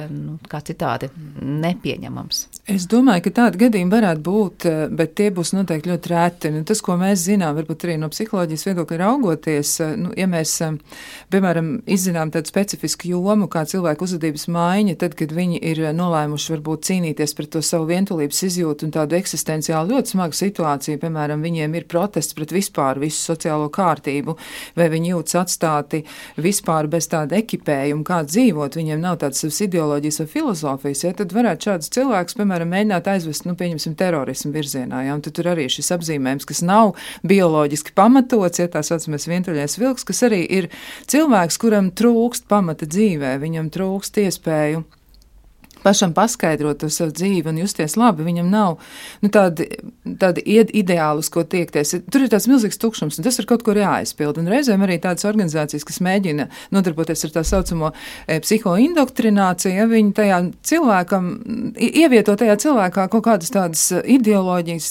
Speaker 2: kā citādi nepieņemams.
Speaker 5: Es domāju, ka tādi gadījumi varētu būt, bet tie būs noteikti ļoti reti. Tas, ko mēs zinām, varbūt arī no psiholoģijas viedokļa raugoties, ja mēs, piemēram, izzinām tādu specifisku jomu, kā cilvēku uzvedības maiņa, tad, kad viņi ir nolēmuši varbūt cīnīties pret to savu vientulības izjūtu un tādu eksistenciāli ļoti smagu situāciju, piemēram, viņiem ir protests pret vispār visu sociālo kārtību, vai viņi jūtas atstāti vispār bez tāda ekipējuma, kā dzīvot, viņiem nav tādas savas ideoloģijas vai filozofijas, ja, tad varētu šādus cilvēkus, piemēram, mēģināt aizvest, pieņemsim, terorismu virzienā, ja, un tad tur arī šis apzīmējums, kas nav bioloģiski pamatots, ja tā saucamais vientuļais vilks, kas arī ir cilvēks, kuram trūkst pamata dzīvē, viņam trūkst iespēju pašam paskaidrot to savu dzīvi un justies labi, viņam nav tādi ideāli, uz ko tiekties. Tur ir tāds milzīgs tukšums, un tas ir kaut kur jāaizpild. Un reizēm arī tādas organizācijas, kas mēģina nodarboties ar tā saucamo psihoindoktrināciju, ja viņi tajā cilvēkam, ievieto tajā cilvēkā kaut kādas tādas ideoloģijas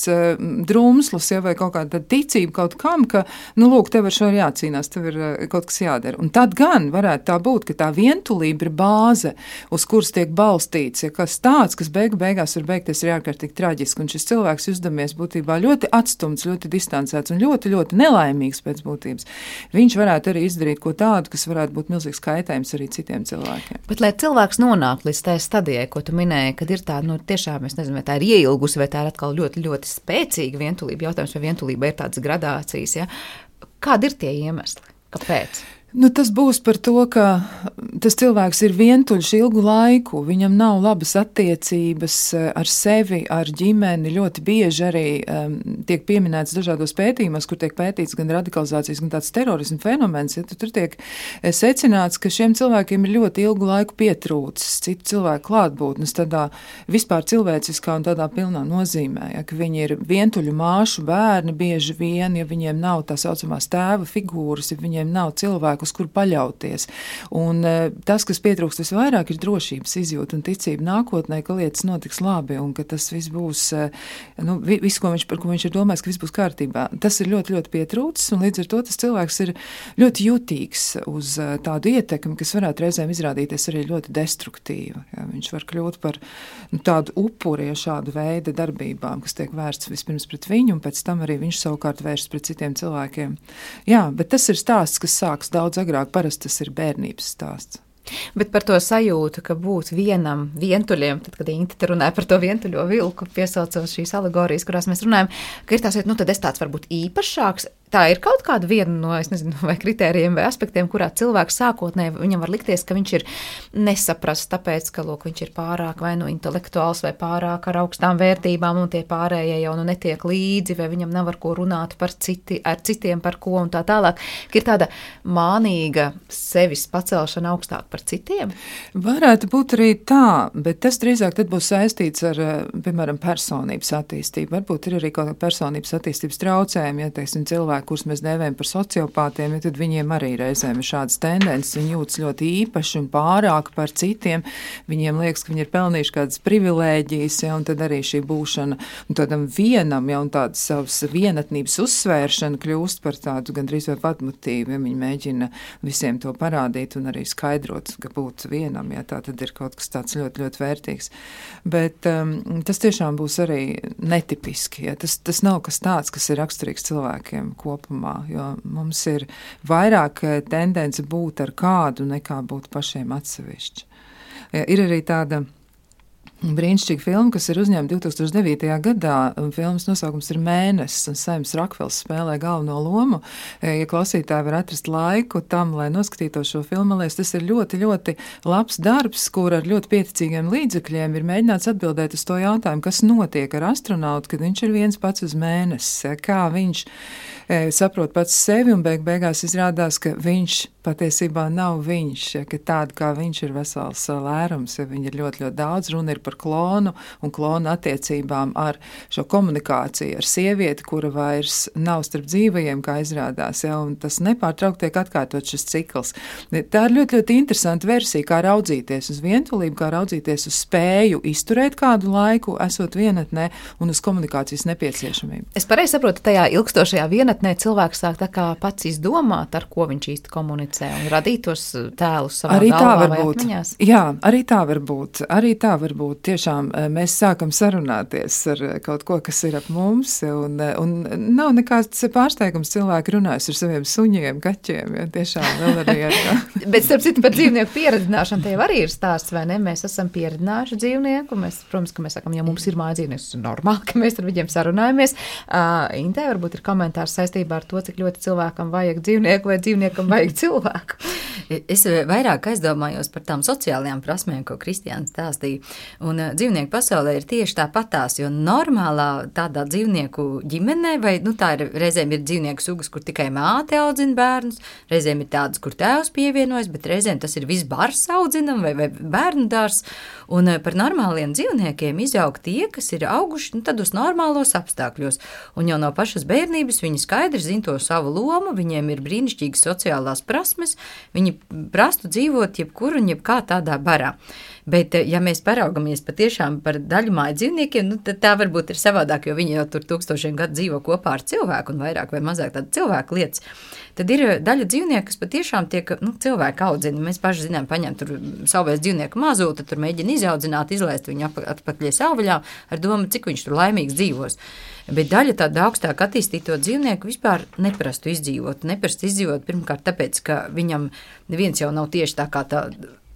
Speaker 5: drumslus, ja, vai kaut kāda ticība kaut kam, ka, lūk, tev ar šo ir jācīnās, tev ir kaut kas jādara. Un tad gan varētu tā būt, ka tā vientulība ir bāze, uz kuras tiek balstīta, ja kas tāds, kas beigās var beigties ir ārkārtīgi traģiski, un šis cilvēks uzdamies būtībā ļoti atstumts, ļoti distancēts un ļoti, ļoti nelaimīgs pēc būtības. Viņš varētu arī izdarīt ko tādu, kas varētu būt milzīgs kaitējums arī citiem cilvēkiem.
Speaker 2: Bet, lai cilvēks nonāk līdz tai stadijai, ko tu minēji, kad ir tā, tiešām, es nezinu, vai tā ir ieilgusi, vai tā ir atkal ļoti, ļoti spēcīga vientulība, jautājums, vai vientulība ir tādas gradācijas, ja? Kādi ir tie iemesli? Kāpēc?
Speaker 5: Tas būs par to, ka tas cilvēks ir vientuļš ilgu laiku, viņam nav labas attiecības ar sevi, ar ģimeni. Ļoti bieži arī tiek pieminēts dažādos pētījumos, kur tiek pētīts gan radikalizācijas, gan tāds terorismu fenomens. Ja, tur tiek secināts, ka šiem cilvēkiem ir ļoti ilgu laiku pietrūcis citu cilvēku klātbūtnes tādā vispār cilvēciskā un tādā pilnā nozīmē. Ja, ka viņi ir vientuļu māšu bērni bieži vien, ja viņiem nav tā saucamās tēva figūras, ja viņiem nav cilvēku, uz kuru paļauties. Un tas, kas pietrūkst visvairāk, ir drošības izjūta un ticība nākotnē, ka lietas notiks labi un ka tas viss būs, viss, par ko viņš ir domājis, ka viss būs kārtībā. Tas ir ļoti, ļoti pietrūcis, un līdz ar to tas cilvēks ir ļoti jutīgs uz tādu ietekmi, kas varētu reizēm izrādīties arī ļoti destruktīva. Ja, viņš var kļūt par tādu upuri šādu veidu darbībām, kas tiek vērsts vispirms pret viņu, un pēc tam arī viņš savukārt vērsts pret citiem cilvēkiem. Jā, bet tas ir stāsts, kas sāks daudz agrāk, parasti tas ir bērnības stāsts.
Speaker 2: Bet par to sajūtu, ka būt vienam vientuļiem, tad, kad Inte te runāja par to vientuļo vilku, piesaucot šīs alegorijas, kurās mēs runājam, ka ir tās, nu tad es tāds varbūt īpašāks. Tā ir kaut kāda viena no, es nezinu, vai kritērijiem vai aspektiem, kurā cilvēks sākotnēji viņam var likties, ka viņš ir nesaprasts, tāpēc, ka, lūk, viņš ir pārāk vai nu intelektuāls vai pārāk ar augstām vērtībām un tie pārējie jau nu netiek līdzi, vai viņam nav ar ko runāt ar citiem par ko un tā tālāk. Ka ir tāda mānīga sevis pacelšana augstāk par citiem?
Speaker 5: Varētu būt arī tā, bet tas drīzāk tad būs saistīts ar, piemēram, personības attīstību. Varbūt ir arī kaut kā personības attīstības traucējumi, ja, teiksim, cilvēki, kurus mēs dēvējam par sociopātiem, ja tad viņiem arī reizēm ir šādas tendences, viņi jūtas ļoti īpaši un pārāk par citiem, viņiem liekas, ka viņi ir pelnījuši kādas privilēģijas, ja, un tad arī šī būšana un tādam vienam, ja, un tādas savas vienatnības uzsvēršana kļūst par tādu gandrīz vai patmotīvu, ja viņi mēģina visiem to parādīt un arī skaidrot, ka būt vienam, ja tā tad ir kaut kas tāds ļoti, ļoti vērtīgs. Bet tas tiešām būs arī netipiski, ja tas nav kas tāds, kas ir raksturīgs cilvēkiem kopumā, jo mums ir vairāk tendence būt ar kādu nekā būt pašiem atsevišķi. Ja, ir arī tāda brīnišķīga filma, kas ir uzņemta 2009. gadā. Filmas nosaukums ir Mēnesis, un Saims Rakvels spēlē galveno lomu. Ja klausītāji var atrast laiku tam, lai noskatītos šo filmu, liekas, tas ir ļoti, ļoti labs darbs, kur ar ļoti pieticīgiem līdzekļiem ir mēģināts atbildēt uz to jautājumu, kas notiek ar astronautu, kad viņš ir viens pats uz mēnesis, kā viņš saprot pats sevi, un beigās izrādās, ka viņš patiesībā nav viņš, ja, ka tāda kā viņš ir vesels lērums, ja viņi ir ļoti, ļoti daudz, runa ir par klonu un klonu attiecībām ar šo komunikāciju ar sievieti, kura vairs nav starp dzīvajiem, kā izrādās, ja, un tas nepārtraukti tiek atkārtot šis cikls. Tā ir ļoti, ļoti interesanta versija, kā raudzīties uz vientulību, kā raudzīties uz spēju izturēt kādu laiku, esot vienatnē un uz komunikācijas nepieciešamību.
Speaker 2: Es pareizi saprotu, tajā ilgstošajā vienatnē cilvēks sāk tā kā pats izdomāt, ar ko viņš īsti komunicē un radīt tos tēlus savā galvā vai atmiņās?
Speaker 5: Jā, arī tā var būt. Arī tā var būt. Tiešām mēs sākam sarunāties ar kaut ko, kas ir ap mums, un nav nekāds pārsteigums cilvēki runājas ar saviem suņiem, kaķiem, ja tiešām vēl arī ar tā.
Speaker 2: Bet starp citu par dzīvnieku pieredzināšanu tev arī ir stāsts, vai ne? Mēs esam pieredzinājuši dzīvnieku, protams, ka mēs sakam, ja mums ir māja dzīvnieks, tas ir normāli, ka mēs ar viņiem sarunājamies. Intē varbūt ir komentārs saistībā ar to, cik ļoti cilvēkam vajag dzīvnieku vai dzīvniekam vajag cilvēku.
Speaker 3: Es vairāk aizdomājos par tām sociālajām prasmēm, ko Kristiāns stāstīja. Un dzīvnieku pasaulē ir tieši tāpatās, jo normālā tādā dzīvnieku ģimenē, vai tā ir, reizēm ir dzīvnieku sugas, kur tikai māte audzina bērnus, reizēm ir tādas, kur tēvs pievienojas, bet reizēm tas ir viss bars audzinam vai bērnu dārs. Un par normāliem dzīvniekiem izaug tie, kas ir auguši tad uz normālos apstākļos. Un jau no pašas bērnības viņi skaidri zina to savu lomu, viņiem ir brīnišķīgas sociālās prasmes, viņi prastu dzīvot jebkur un jebkā tādā barā. Bet, ja mēs paraugamies patiešām par daļu māju dzīvniekiem, tad tā varbūt ir savādāk, jo viņi jau tur tūkstošiem gadu dzīvo kopā ar cilvēku un vairāk vai mazāk tāda cilvēku lietas. Tad ir daļa dzīvnieku, kas patiešām tiek cilvēku audzina. Mēs paši zinām, paņem tur savvēs dzīvnieku mazūti, tur mēģina izaudzināt, izlaist viņu atpakaļ savvaļā ar domu, cik viņš tur laimīgs dzīvos. Bet daļa tāda augstāk attīstīto dzīvnieku vispār neprastu izdzīvot. Neprastu izdzīvot pirmkārt tāpēc, ka viņam neviens jau nav tieši tā kā tā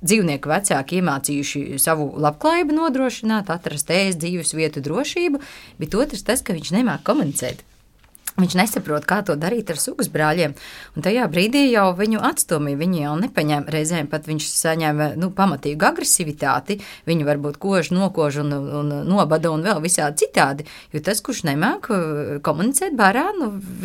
Speaker 3: dzīvnieku vecāki iemācījuši savu labklājību nodrošināt, atrast ēst, dzīves vietu, drošību, bet otrs tas, ka viņš nemāk komunicēt. Viņš nesaprot, kā to darīt ar sugas brāļiem, un tajā brīdī jau viņu atstumīja, viņi jau nepaņēma, reizēm pat viņš saņēma pamatīgu agresivitāti, viņu varbūt kož, nokož un nobada un vēl visādi citādi, jo tas, kurš nemāk komunicēt barā,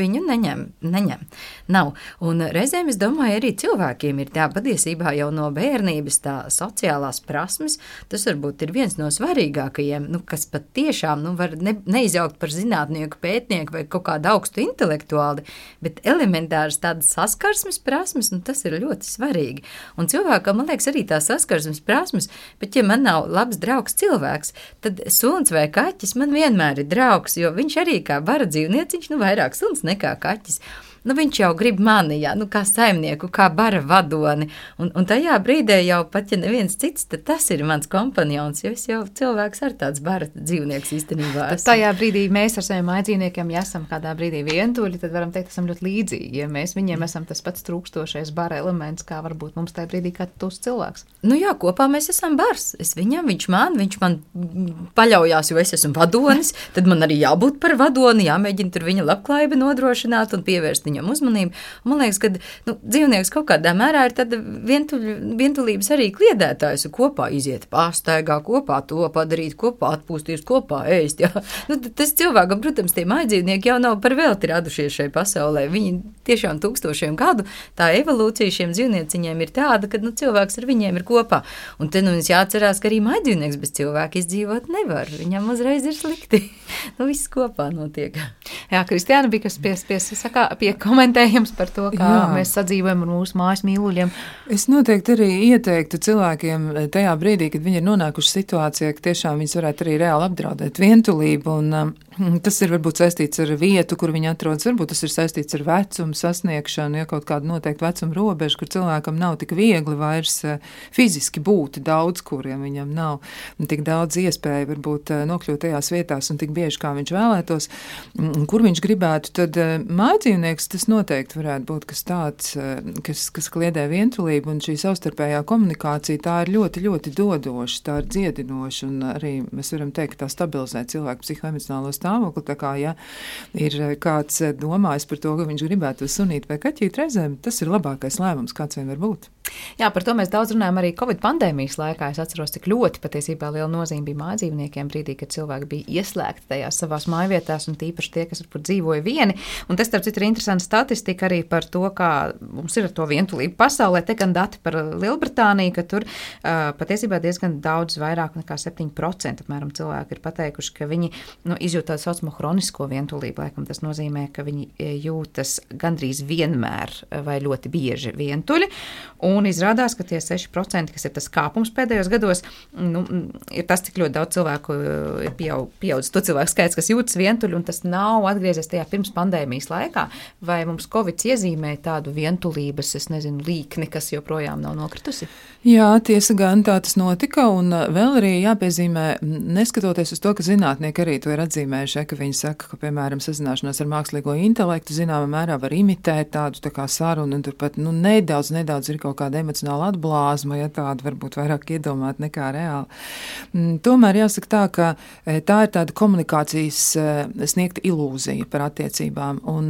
Speaker 3: viņu neņem. Nav. Un reizēm es domāju, arī cilvēkiem ir tā patiesībā jau no bērnības tā sociālās prasmes, tas varbūt ir viens no svarīgākajiem, kas pat tiešām var neizaugt par zinātnieku, pētnieku vai kaut kādu augstu intelektuāli, bet elementāras tādas saskarsmes prasmes, tas ir ļoti svarīgi. Un cilvēkam, man liekas, arī tās saskarsmes prasmes, bet ja man nav labs draugs cilvēks, tad suns vai kaķis man vienmēr ir draugs, jo viņš arī kā bara dzīvnieciņš, vairāk suns nekā kaķis. viņš jau grib mani, jā, kā saimnieku, kā bara vadoni. Un tajā brīdē jau pat, ja neviens cits, tad tas ir mans kompanjons, jo es jau cilvēks ar tāds bara dzīvnieks īstenībā.
Speaker 2: Tad tajā brīdī mēs ar saviem mājdzīvniekiem, ja esam kādā brīdī vientuļi, tad varam teikt, esam ļoti līdzīgi, ja mēs viņiem esam tas pats trūkstošais bara elements, kā varbūt mums tajā brīdī kā tos cilvēks.
Speaker 3: Nu jā, kopā mēs esam bars. Es viņam, viņš man paļaujās, jo es esmu vadonis, tad man arī jābūt par vadoni, jāmēģina tur viņa labklājība nodrošināt un pievērst viņam uzmanību. Un man liekas, ka dzīvnieks kaut kādā mērā ir tāda vientulības arī kliedētājs, kopā iziet pārstaigā, kopā to padarīt, kopā atpūsties, kopā ēst. Jā. Tas cilvēkam, protams, tie mājdzīvnieki jau nav par velti radušies šai pasaulē. Viņi tiešām tūkstošiem gadu, tā evolūcija šiem dzīvnieciņiem ir tāda, ka cilvēks ar viņiem ir kopā. Un te mums jāatcerās, ka arī mājdzīvnieks bez cilvēka izdzīvot nevar. Viņam uzreiz ir slikti. Viss kopā notiek.
Speaker 2: Jā, Kristiāna bija kas pie komentējums par to, kā mēs sadzīvojam ar mūsu mājas mīluļiem.
Speaker 5: Es noteikti arī ieteiktu cilvēkiem tajā brīdī, kad viņi ir nonākuši situācijā, ka tiešām viņus varētu arī reāli apdraudēt vientulību. Un tas ir varbūt saistīts ar vietu, kur viņi atrodas. Varbūt tas ir saistīts ar vecumu sasniegšanu, ja kaut kādu noteiktu vecuma robežu, kur cilvēkam nav tik viegli vairs fiziski būt daudz kuriem, viņam nav tik daudz iespēju varbūt nokļūt tajās vietās un tik bieži, kā viņš vēlētos, kur viņš gribētu, tad mājdzīvnieks tas noteikti varētu būt kas tāds, kas kliedē vientulību, un šī savstarpējā komunikācija, tā ir ļoti, ļoti dodoša, tā ir dziedinoša, un arī mēs varam teikt, ka tā stabilizē cilvēku psihoemocionālo stāvokli, tā kā, ja ir kāds domājis par to, ka viņš gribētu sunīt vai kaķīt reizēm, tas ir labākais lēmums, kāds vien var būt.
Speaker 2: Jā, par to mēs daudz runājam arī Covid pandēmijas laikā. Es atceros, cik ļoti patiesībā liela nozīme bija mājdzīvniekiem brīdī, kad cilvēki bija ieslēgti tajās savās mājvietās un tīpaši tie, kas varbūt dzīvoja vieni. Un tas, starp citu, ir interesanta statistika arī par to, kā mums ir ar to vientulību pasaulē. Te gan dati par Lielbritāniju, ka tur patiesībā diezgan daudz vairāk nekā 7% apmēram cilvēki ir pateikuši, ka viņi izjūt tādu saucamo hronisko vientulību. Laikam tas nozīmē, ka viņi jūtas gandrīz vienmēr vai ļoti bieži vientuļi. Un izrādās, ka tie 6%, kas ir tas kāpums pēdējos gados, ir tas, cik ļoti daudz cilvēku ir pieaudzis to cilvēku skaits, kas jūtas vientuļi, un tas nav atgriezies tajā pirms pandēmijas laikā. Vai mums Covid iezīmē tādu vientulības, līkni, kas joprojām nav nokritusi?
Speaker 5: Jā, tiesa gan tā tas notika, un vēl arī jāpiezīmē, neskatoties uz to, ka zinātnieki arī to ir atzīmējuši, ka viņi saka, ka, piemēram, sazināšanās ar mākslīgo intelektu zināmā mērā var imitēt tādu tā kā sarunu, un turpat, nedaudz ir kaut kāda emocionāla atblāzma, ja tāda varbūt vairāk iedomāt nekā reāli. Tomēr jāsaka tā, ka tā ir tāda komunikācijas sniegta ilūzija par attiecībām, un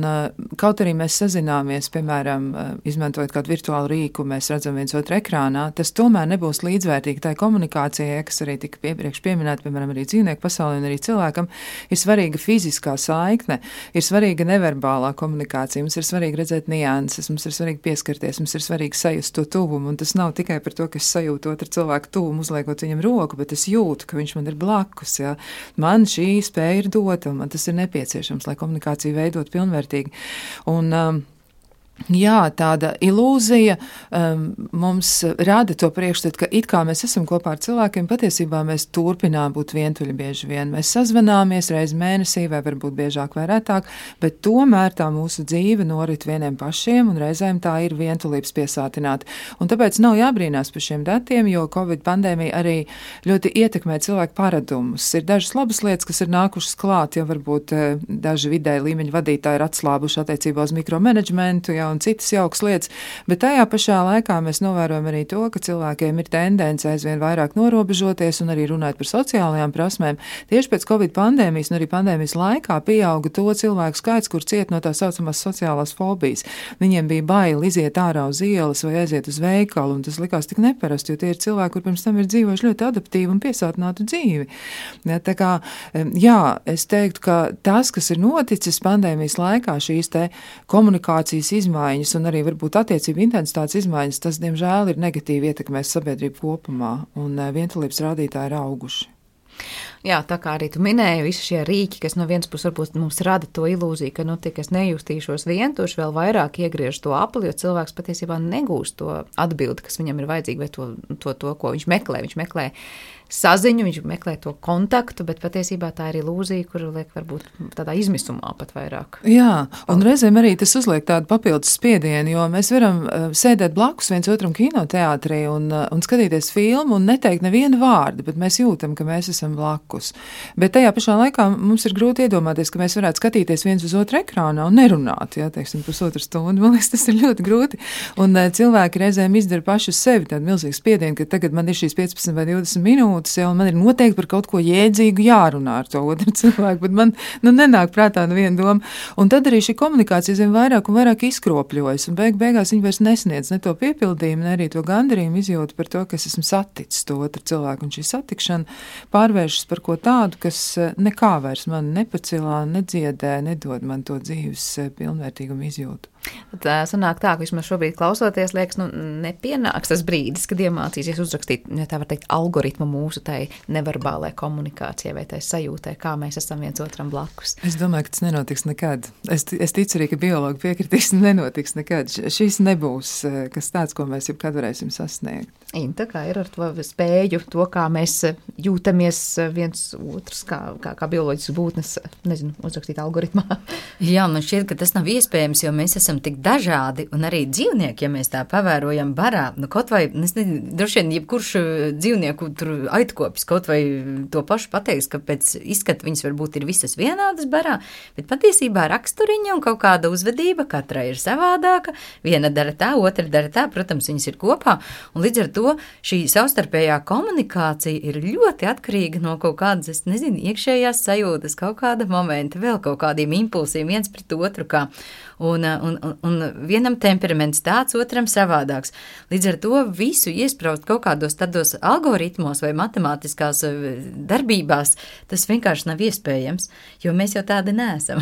Speaker 5: kaut arī mēs sazināmies, piemēram, izmantojot kādu virtuālu rīku, mēs redzam viens otru ekrānā, tas tomēr nebūs līdzvērtīgi tai komunikācijai, kas arī tika iepriekš pieminēta, piemēram, arī dzīvnieku pasaulē un arī cilvēkam, ir svarīga fiziskā saikne, ir svarīga neverbālā komunikācija, mums ir svarīgi redzēt nianses, mums ir svarīgi pieskarties, mums ir svarīgi sajust to tuvumu, un tas nav tikai par to, ka es sajūtu otru cilvēku tuvumu, uzliekot viņam roku, bet es jūtu, ka viņš man ir blakus, ja. Man šī spēja ir dota, un man tas ir nepieciešams, lai komunikāciju veidot pilnvērtīgi. Un jā, tāda ilūzija mums rada to priekšstatu, ka it kā mēs esam kopā ar cilvēkiem, patiesībā mēs turpinām būt vientuļi bieži vien. Mēs sazvanāmies reiz mēnesī vai varbūt biežāk vai retāk, bet tomēr tā mūsu dzīve norit vieniem pašiem un reizēm tā ir vientulības piesātināta. Un tāpēc nav jābrīnās par šiem datiem, jo Covid pandēmija arī ļoti ietekmē cilvēku paradumus. Ir dažas labas lietas, kas ir nākušas klāt, ja varbūt daži vidēji līmeņa vadītāji ir atslābuši attiecībā uz mikromanagementu, un citas jaukas lietas, bet tajā pašā laikā mēs novērojam arī to, ka cilvēkiem ir tendence aizvien vairāk norobežoties un arī runāt par sociālajām prasmēm. Tieši pēc Covid pandēmijas un arī pandēmijas laikā pieauga to cilvēku skaits, kur ciet no tā saucamās sociālās fobijas. Viņiem bija baili iziet ārā uz ielas vai aiziet uz veikalu, un tas likās tik neparasti, jo tie ir cilvēki, kur pirms tam ir dzīvojuši ļoti adaptīvu un piesātinātu dzīvi. Ja, tā kā, jā, es teiktu, ka tas, kas ir noticis pandēmijas laikā, šīs te komunikācijas izmaiņas un arī varbūt attiecību intensitātes izmaiņas, tas, diemžēl, ir negatīvi ietekmēs sabiedrību kopumā, un vientulības rādītāji ir auguši.
Speaker 2: Jā, tā kā arī tu minēji, visi šie rīki, kas no vienas puses varbūt mums rada to ilūziju, ka, es nejustīšos vientuļš, vēl vairāk iegriež to apli, jo cilvēks patiesībā negūst to atbildi, kas viņam ir vajadzīga, vai to, ko viņš meklē. Viņš meklē saziņu, viņš meklē to kontaktu, bet patiesībā tā ir ilūzija, kuru liek varbūt tādā izmisumā pat vairāk.
Speaker 5: Jā, un reizēm arī tas uzliek tādu papildus spiedienu, jo mēs varam sēdēt blakus viens otram kinoteātrī un skatīties filmu un neteikt nevienu vārdu, bet mēs jūtam, ka mēs esam blakus. Bet tajā pašā laikā mums ir grūti iedomāties, ka mēs varētu skatīties viens uz otru ekrānā un nerunāt, pusotru stundu. Man liekas, tas ir ļoti grūti. Un cilvēki reizēm izdara paši uz sevi tādu milzīgu spiedienu, ka tagad man ir šīs 15 vai 20 minūtes, un man ir noteikti par kaut ko jēdzīgu jārunā ar to otru cilvēku, bet man nenāk prātā neviena doma. Un tad arī šī komunikācija zem vairāk un vairāk izkropļojas, un beigās viņi vairs nesniedz ne to piepildījumu, ne arī to gandarījumu izjūtu par to, ka es esmu saticis to otru cilvēku, un šī satikšana pārvēršas par ko tādu, kas nekā vairs man nepacilā, nedziedē, nedod man to dzīves pilnvērtīgumu izjūtu.
Speaker 2: Tā sanāk tā, ka vismaz šobrīd klausoties, liekas, nepienāks tas brīdis, kad iemācīsies uzrakstīt, tā var teikt, algoritmu mūsu tai neverbālai komunikācijai vai tai sajūtai, kā mēs esam viens otram blakus.
Speaker 5: Es domāju, ka tas nenotiks nekad. Es ticu arī, ka biologi piekritīs, nenotiks nekad. Šis nebūs kas tāds, ko mēs jebkad varēsim sasniegt.
Speaker 2: Inta, kā ir ar to spēju, to, kā mēs jūtamies viens otrs, kā bioloģisks būtnes, uzrakstīt algoritmā.
Speaker 3: Jā, man šķiet, ka tas nav iespējams, jo mēs esam tik dažādi, un arī dzīvnieki, ja mēs tā pavērojam barā, kaut vai, droši vien, jebkurš dzīvnieku tur aitkopis, kaut vai to pašu pateiks, ka pēc izskata viņas varbūt ir visas vienādas barā, bet patiesībā raksturiņa un kaut kāda uzvedība katrai ir savādāka, viena dara tā, otra dara tā, protams, viņas ir kopā, un līdz ar to šī savstarpējā komunikācija ir ļoti atkarīga no kaut kādas, iekšējās sajūtas, kaut kāda momenta, vēl kaut kādiem impulsiem viens pret otru, kā. Un vienam temperaments tāds, otram savādāks. Līdz ar to visu iespraust kaut kādos tādos algoritmos vai matemātiskās darbībās, tas vienkārši nav iespējams, jo mēs jau tādi neesam.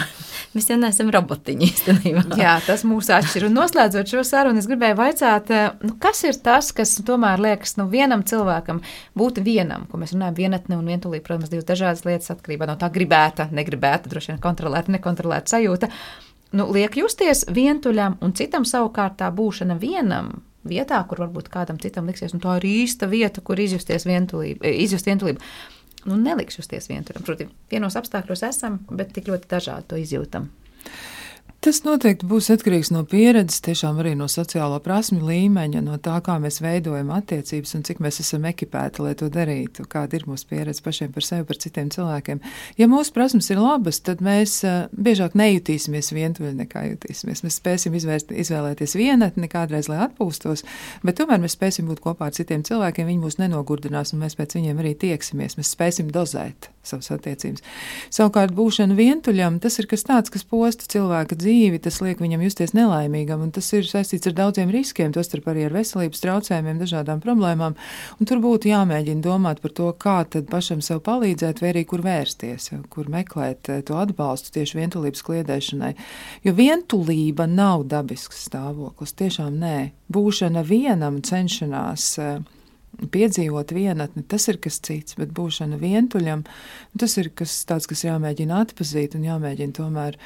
Speaker 3: Mēs jau neesam robotiņi īstenībā.
Speaker 2: Jā, tas mūs atšķir. Un noslēdzot šo sarunu, es gribēju vaicāt, kas ir tas, kas tomēr liekas, vienam cilvēkam būt vienam, ko mēs runājam vienatne un vientulība, protams, divas dažādas lietas atkarībā no tā gribēta, negribēta, droši vien kontrolēta, nekontrolēta sajūta. Liek justies vientuļam un citam savukārt tā būšana vienam vietā, kur varbūt kādam citam liksies, tā ir īsta vieta, kur izjust vientulību. Neliks justies vientuļam. Proti, vienos apstākļos esam, bet tik ļoti dažādi to izjūtam.
Speaker 5: Tas noteikti būs atkarīgs no pieredzes, tiešām arī no sociālo prasmju līmeņa, no tā, kā mēs veidojam attiecības un cik mēs esam ekipēti, lai to darītu, kāda ir mūsu pieredze pašiem par sevi, par citiem cilvēkiem. Ja mūsu prasmes ir labas, tad mēs biežāk nejutīsimies vientuļi nekā jutīsimies. Mēs spēsim izvēlēties vienatni kādreiz, lai atpūstos, bet tomēr mēs spēsim būt kopā ar citiem cilvēkiem, viņi mūs nenogurdinās un mēs pēc viņiem arī tieksimies. Mēs spēsim dozēt savas attiecības. Savukārt būšana vientuļam, tas ir kas tāds, kas posta cilvēka dzīvi, tas liek viņam justies nelaimīgam, un tas ir saistīts ar daudziem riskiem, tostarp arī ar veselības traucējumiem, dažādām problēmām, un tur būtu jāmēģina domāt par to, kā tad pašam sev palīdzēt, vai arī kur vērsties, kur meklēt to atbalstu tieši vientulības kliedēšanai. Jo vientulība nav dabisks stāvoklis, tiešām nē. Būšana vienam, cenšanās piedzīvot vienatni, tas ir kas cits, bet būšana vientuļam, tas ir kas tāds, kas jāmēģina atpazīt un jāmēģina tomēr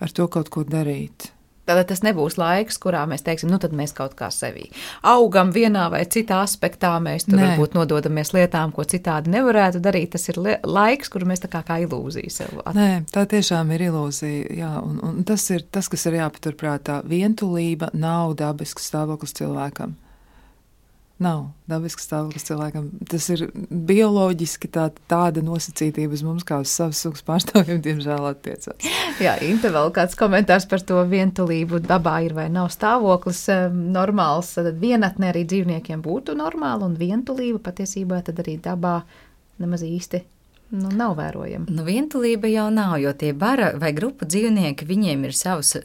Speaker 5: ar to kaut ko darīt.
Speaker 2: Tātad tas nebūs laiks, kurā mēs teiksim, tad mēs kaut kā sevī augam vienā vai citā aspektā, mēs tur varbūt nododamies lietām, ko citādi nevarētu darīt. Tas ir laiks, kuru mēs tā kā ilūziju sev attīstām.
Speaker 5: Nē, tā tiešām ir ilūzija, jā, un tas ir tas, kas ir jāpaturprātā. Vientulība nav dabisks stāvoklis cilvēkam. Nav dabisks stāvoklis cilvēkam. Tas ir bioloģiski tāda nosacītība uz mums, kā uz savas sugas pārstāvjiem, diemžēl attiecās.
Speaker 2: Jā, Inte, vēl kāds komentārs par to vientulību dabā ir vai nav stāvoklis normāls. Tad vienatne arī dzīvniekiem būtu normāla, un vientulība patiesībā tad arī dabā nemaz īsti nav vērojama.
Speaker 3: Vientulība jau nav, jo tie bara vai grupu dzīvnieki, viņiem ir savs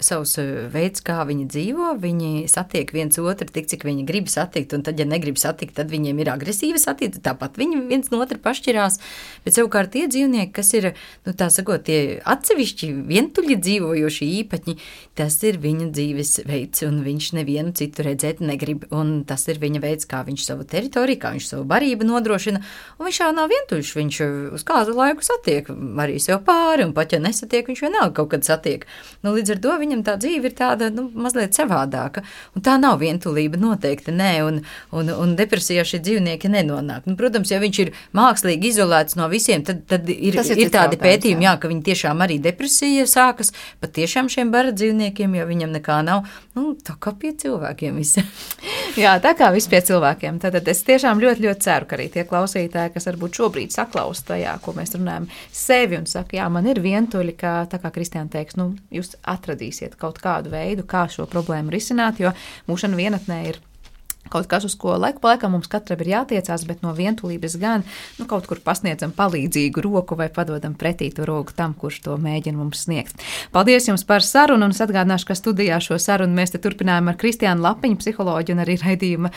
Speaker 3: veids, kā viņi dzīvo, viņi satiek viens otru tik, cik viņi grib satikt, un tad, ja negrib satikt, tad viņiem ir agresīva satikt, tāpat viņi viens no otru pašķirās, bet savukārt tie dzīvnieki, kas ir, tā sakot, tie atsevišķi vientuļi dzīvojoši īpaņi, tas ir viņa dzīves veids, un viņš nevienu citu redzēt negrib, un tas ir viņa veids, kā viņš savu teritoriju, kā viņš savu barību nodrošina, un viņš jau nav vientuļš, viņš uz kā kādu laiku satiek arī sev pāri, un pat ja nesatiek, viņš vienalga kaut kad satiek. Nu, līdz ar to viņam tā dzīve ir tāda, mazliet savādāka, un tā nav vientulība noteikti, nē, un depresijā šie dzīvnieki nenonāk. Nu, protams, ja viņš ir mākslīgi izolēts no visiem, tad ir tādi pētījumi, jā, ka viņi tiešām arī depresija sākas, pat tiešām šiem bara dzīvniekiem, jo viņam nekā nav, tā kā pie cilvēkiem visi.
Speaker 2: Jā, tā kā viss pie cilvēkiem. Tad es tiešām ļoti, ļoti ceru, ka arī tie klausītāji, kas varbūt šobrīd saklaus tajā, ko mēs runājam, sevi un saka, jā, man ir vientuļi, ka tā kā Kristiāna teiks, jūs atradīsiet kaut kādu veidu, kā šo problēmu risināt, jo mūšana vienatnē ir kaut kas, uz ko laiku pa laikam mums katram ir jātiecās, bet no vientulības gan kaut kur pasniedzam palīdzīgu roku vai padodam pretī to roku tam, kurš to mēģina mums sniegt. Paldies jums par sarunu, un es atgādināšu, ka studijā šo sarunu mēs te turpinājām ar Kristiānu Lapiņu, psiholoģu un arī raidījuma,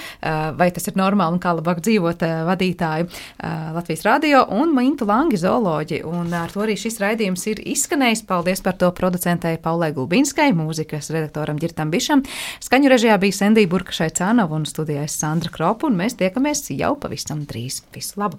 Speaker 2: vai tas ir normāli un kā labāk dzīvot vadītāju Latvijas radio, un Mintu Langi, zooloģi, un ar to arī šis raidījums ir izskanējis. Paldies par to producentei Paulai Gulbinskai, mūzikas redaktoram Ģirtam Bišam, skaņu režijā bija Sendija Burka Šaicānova un studijā Sandra Kropa, un mēs tiekamies jau pavisam drīz. Visu labu!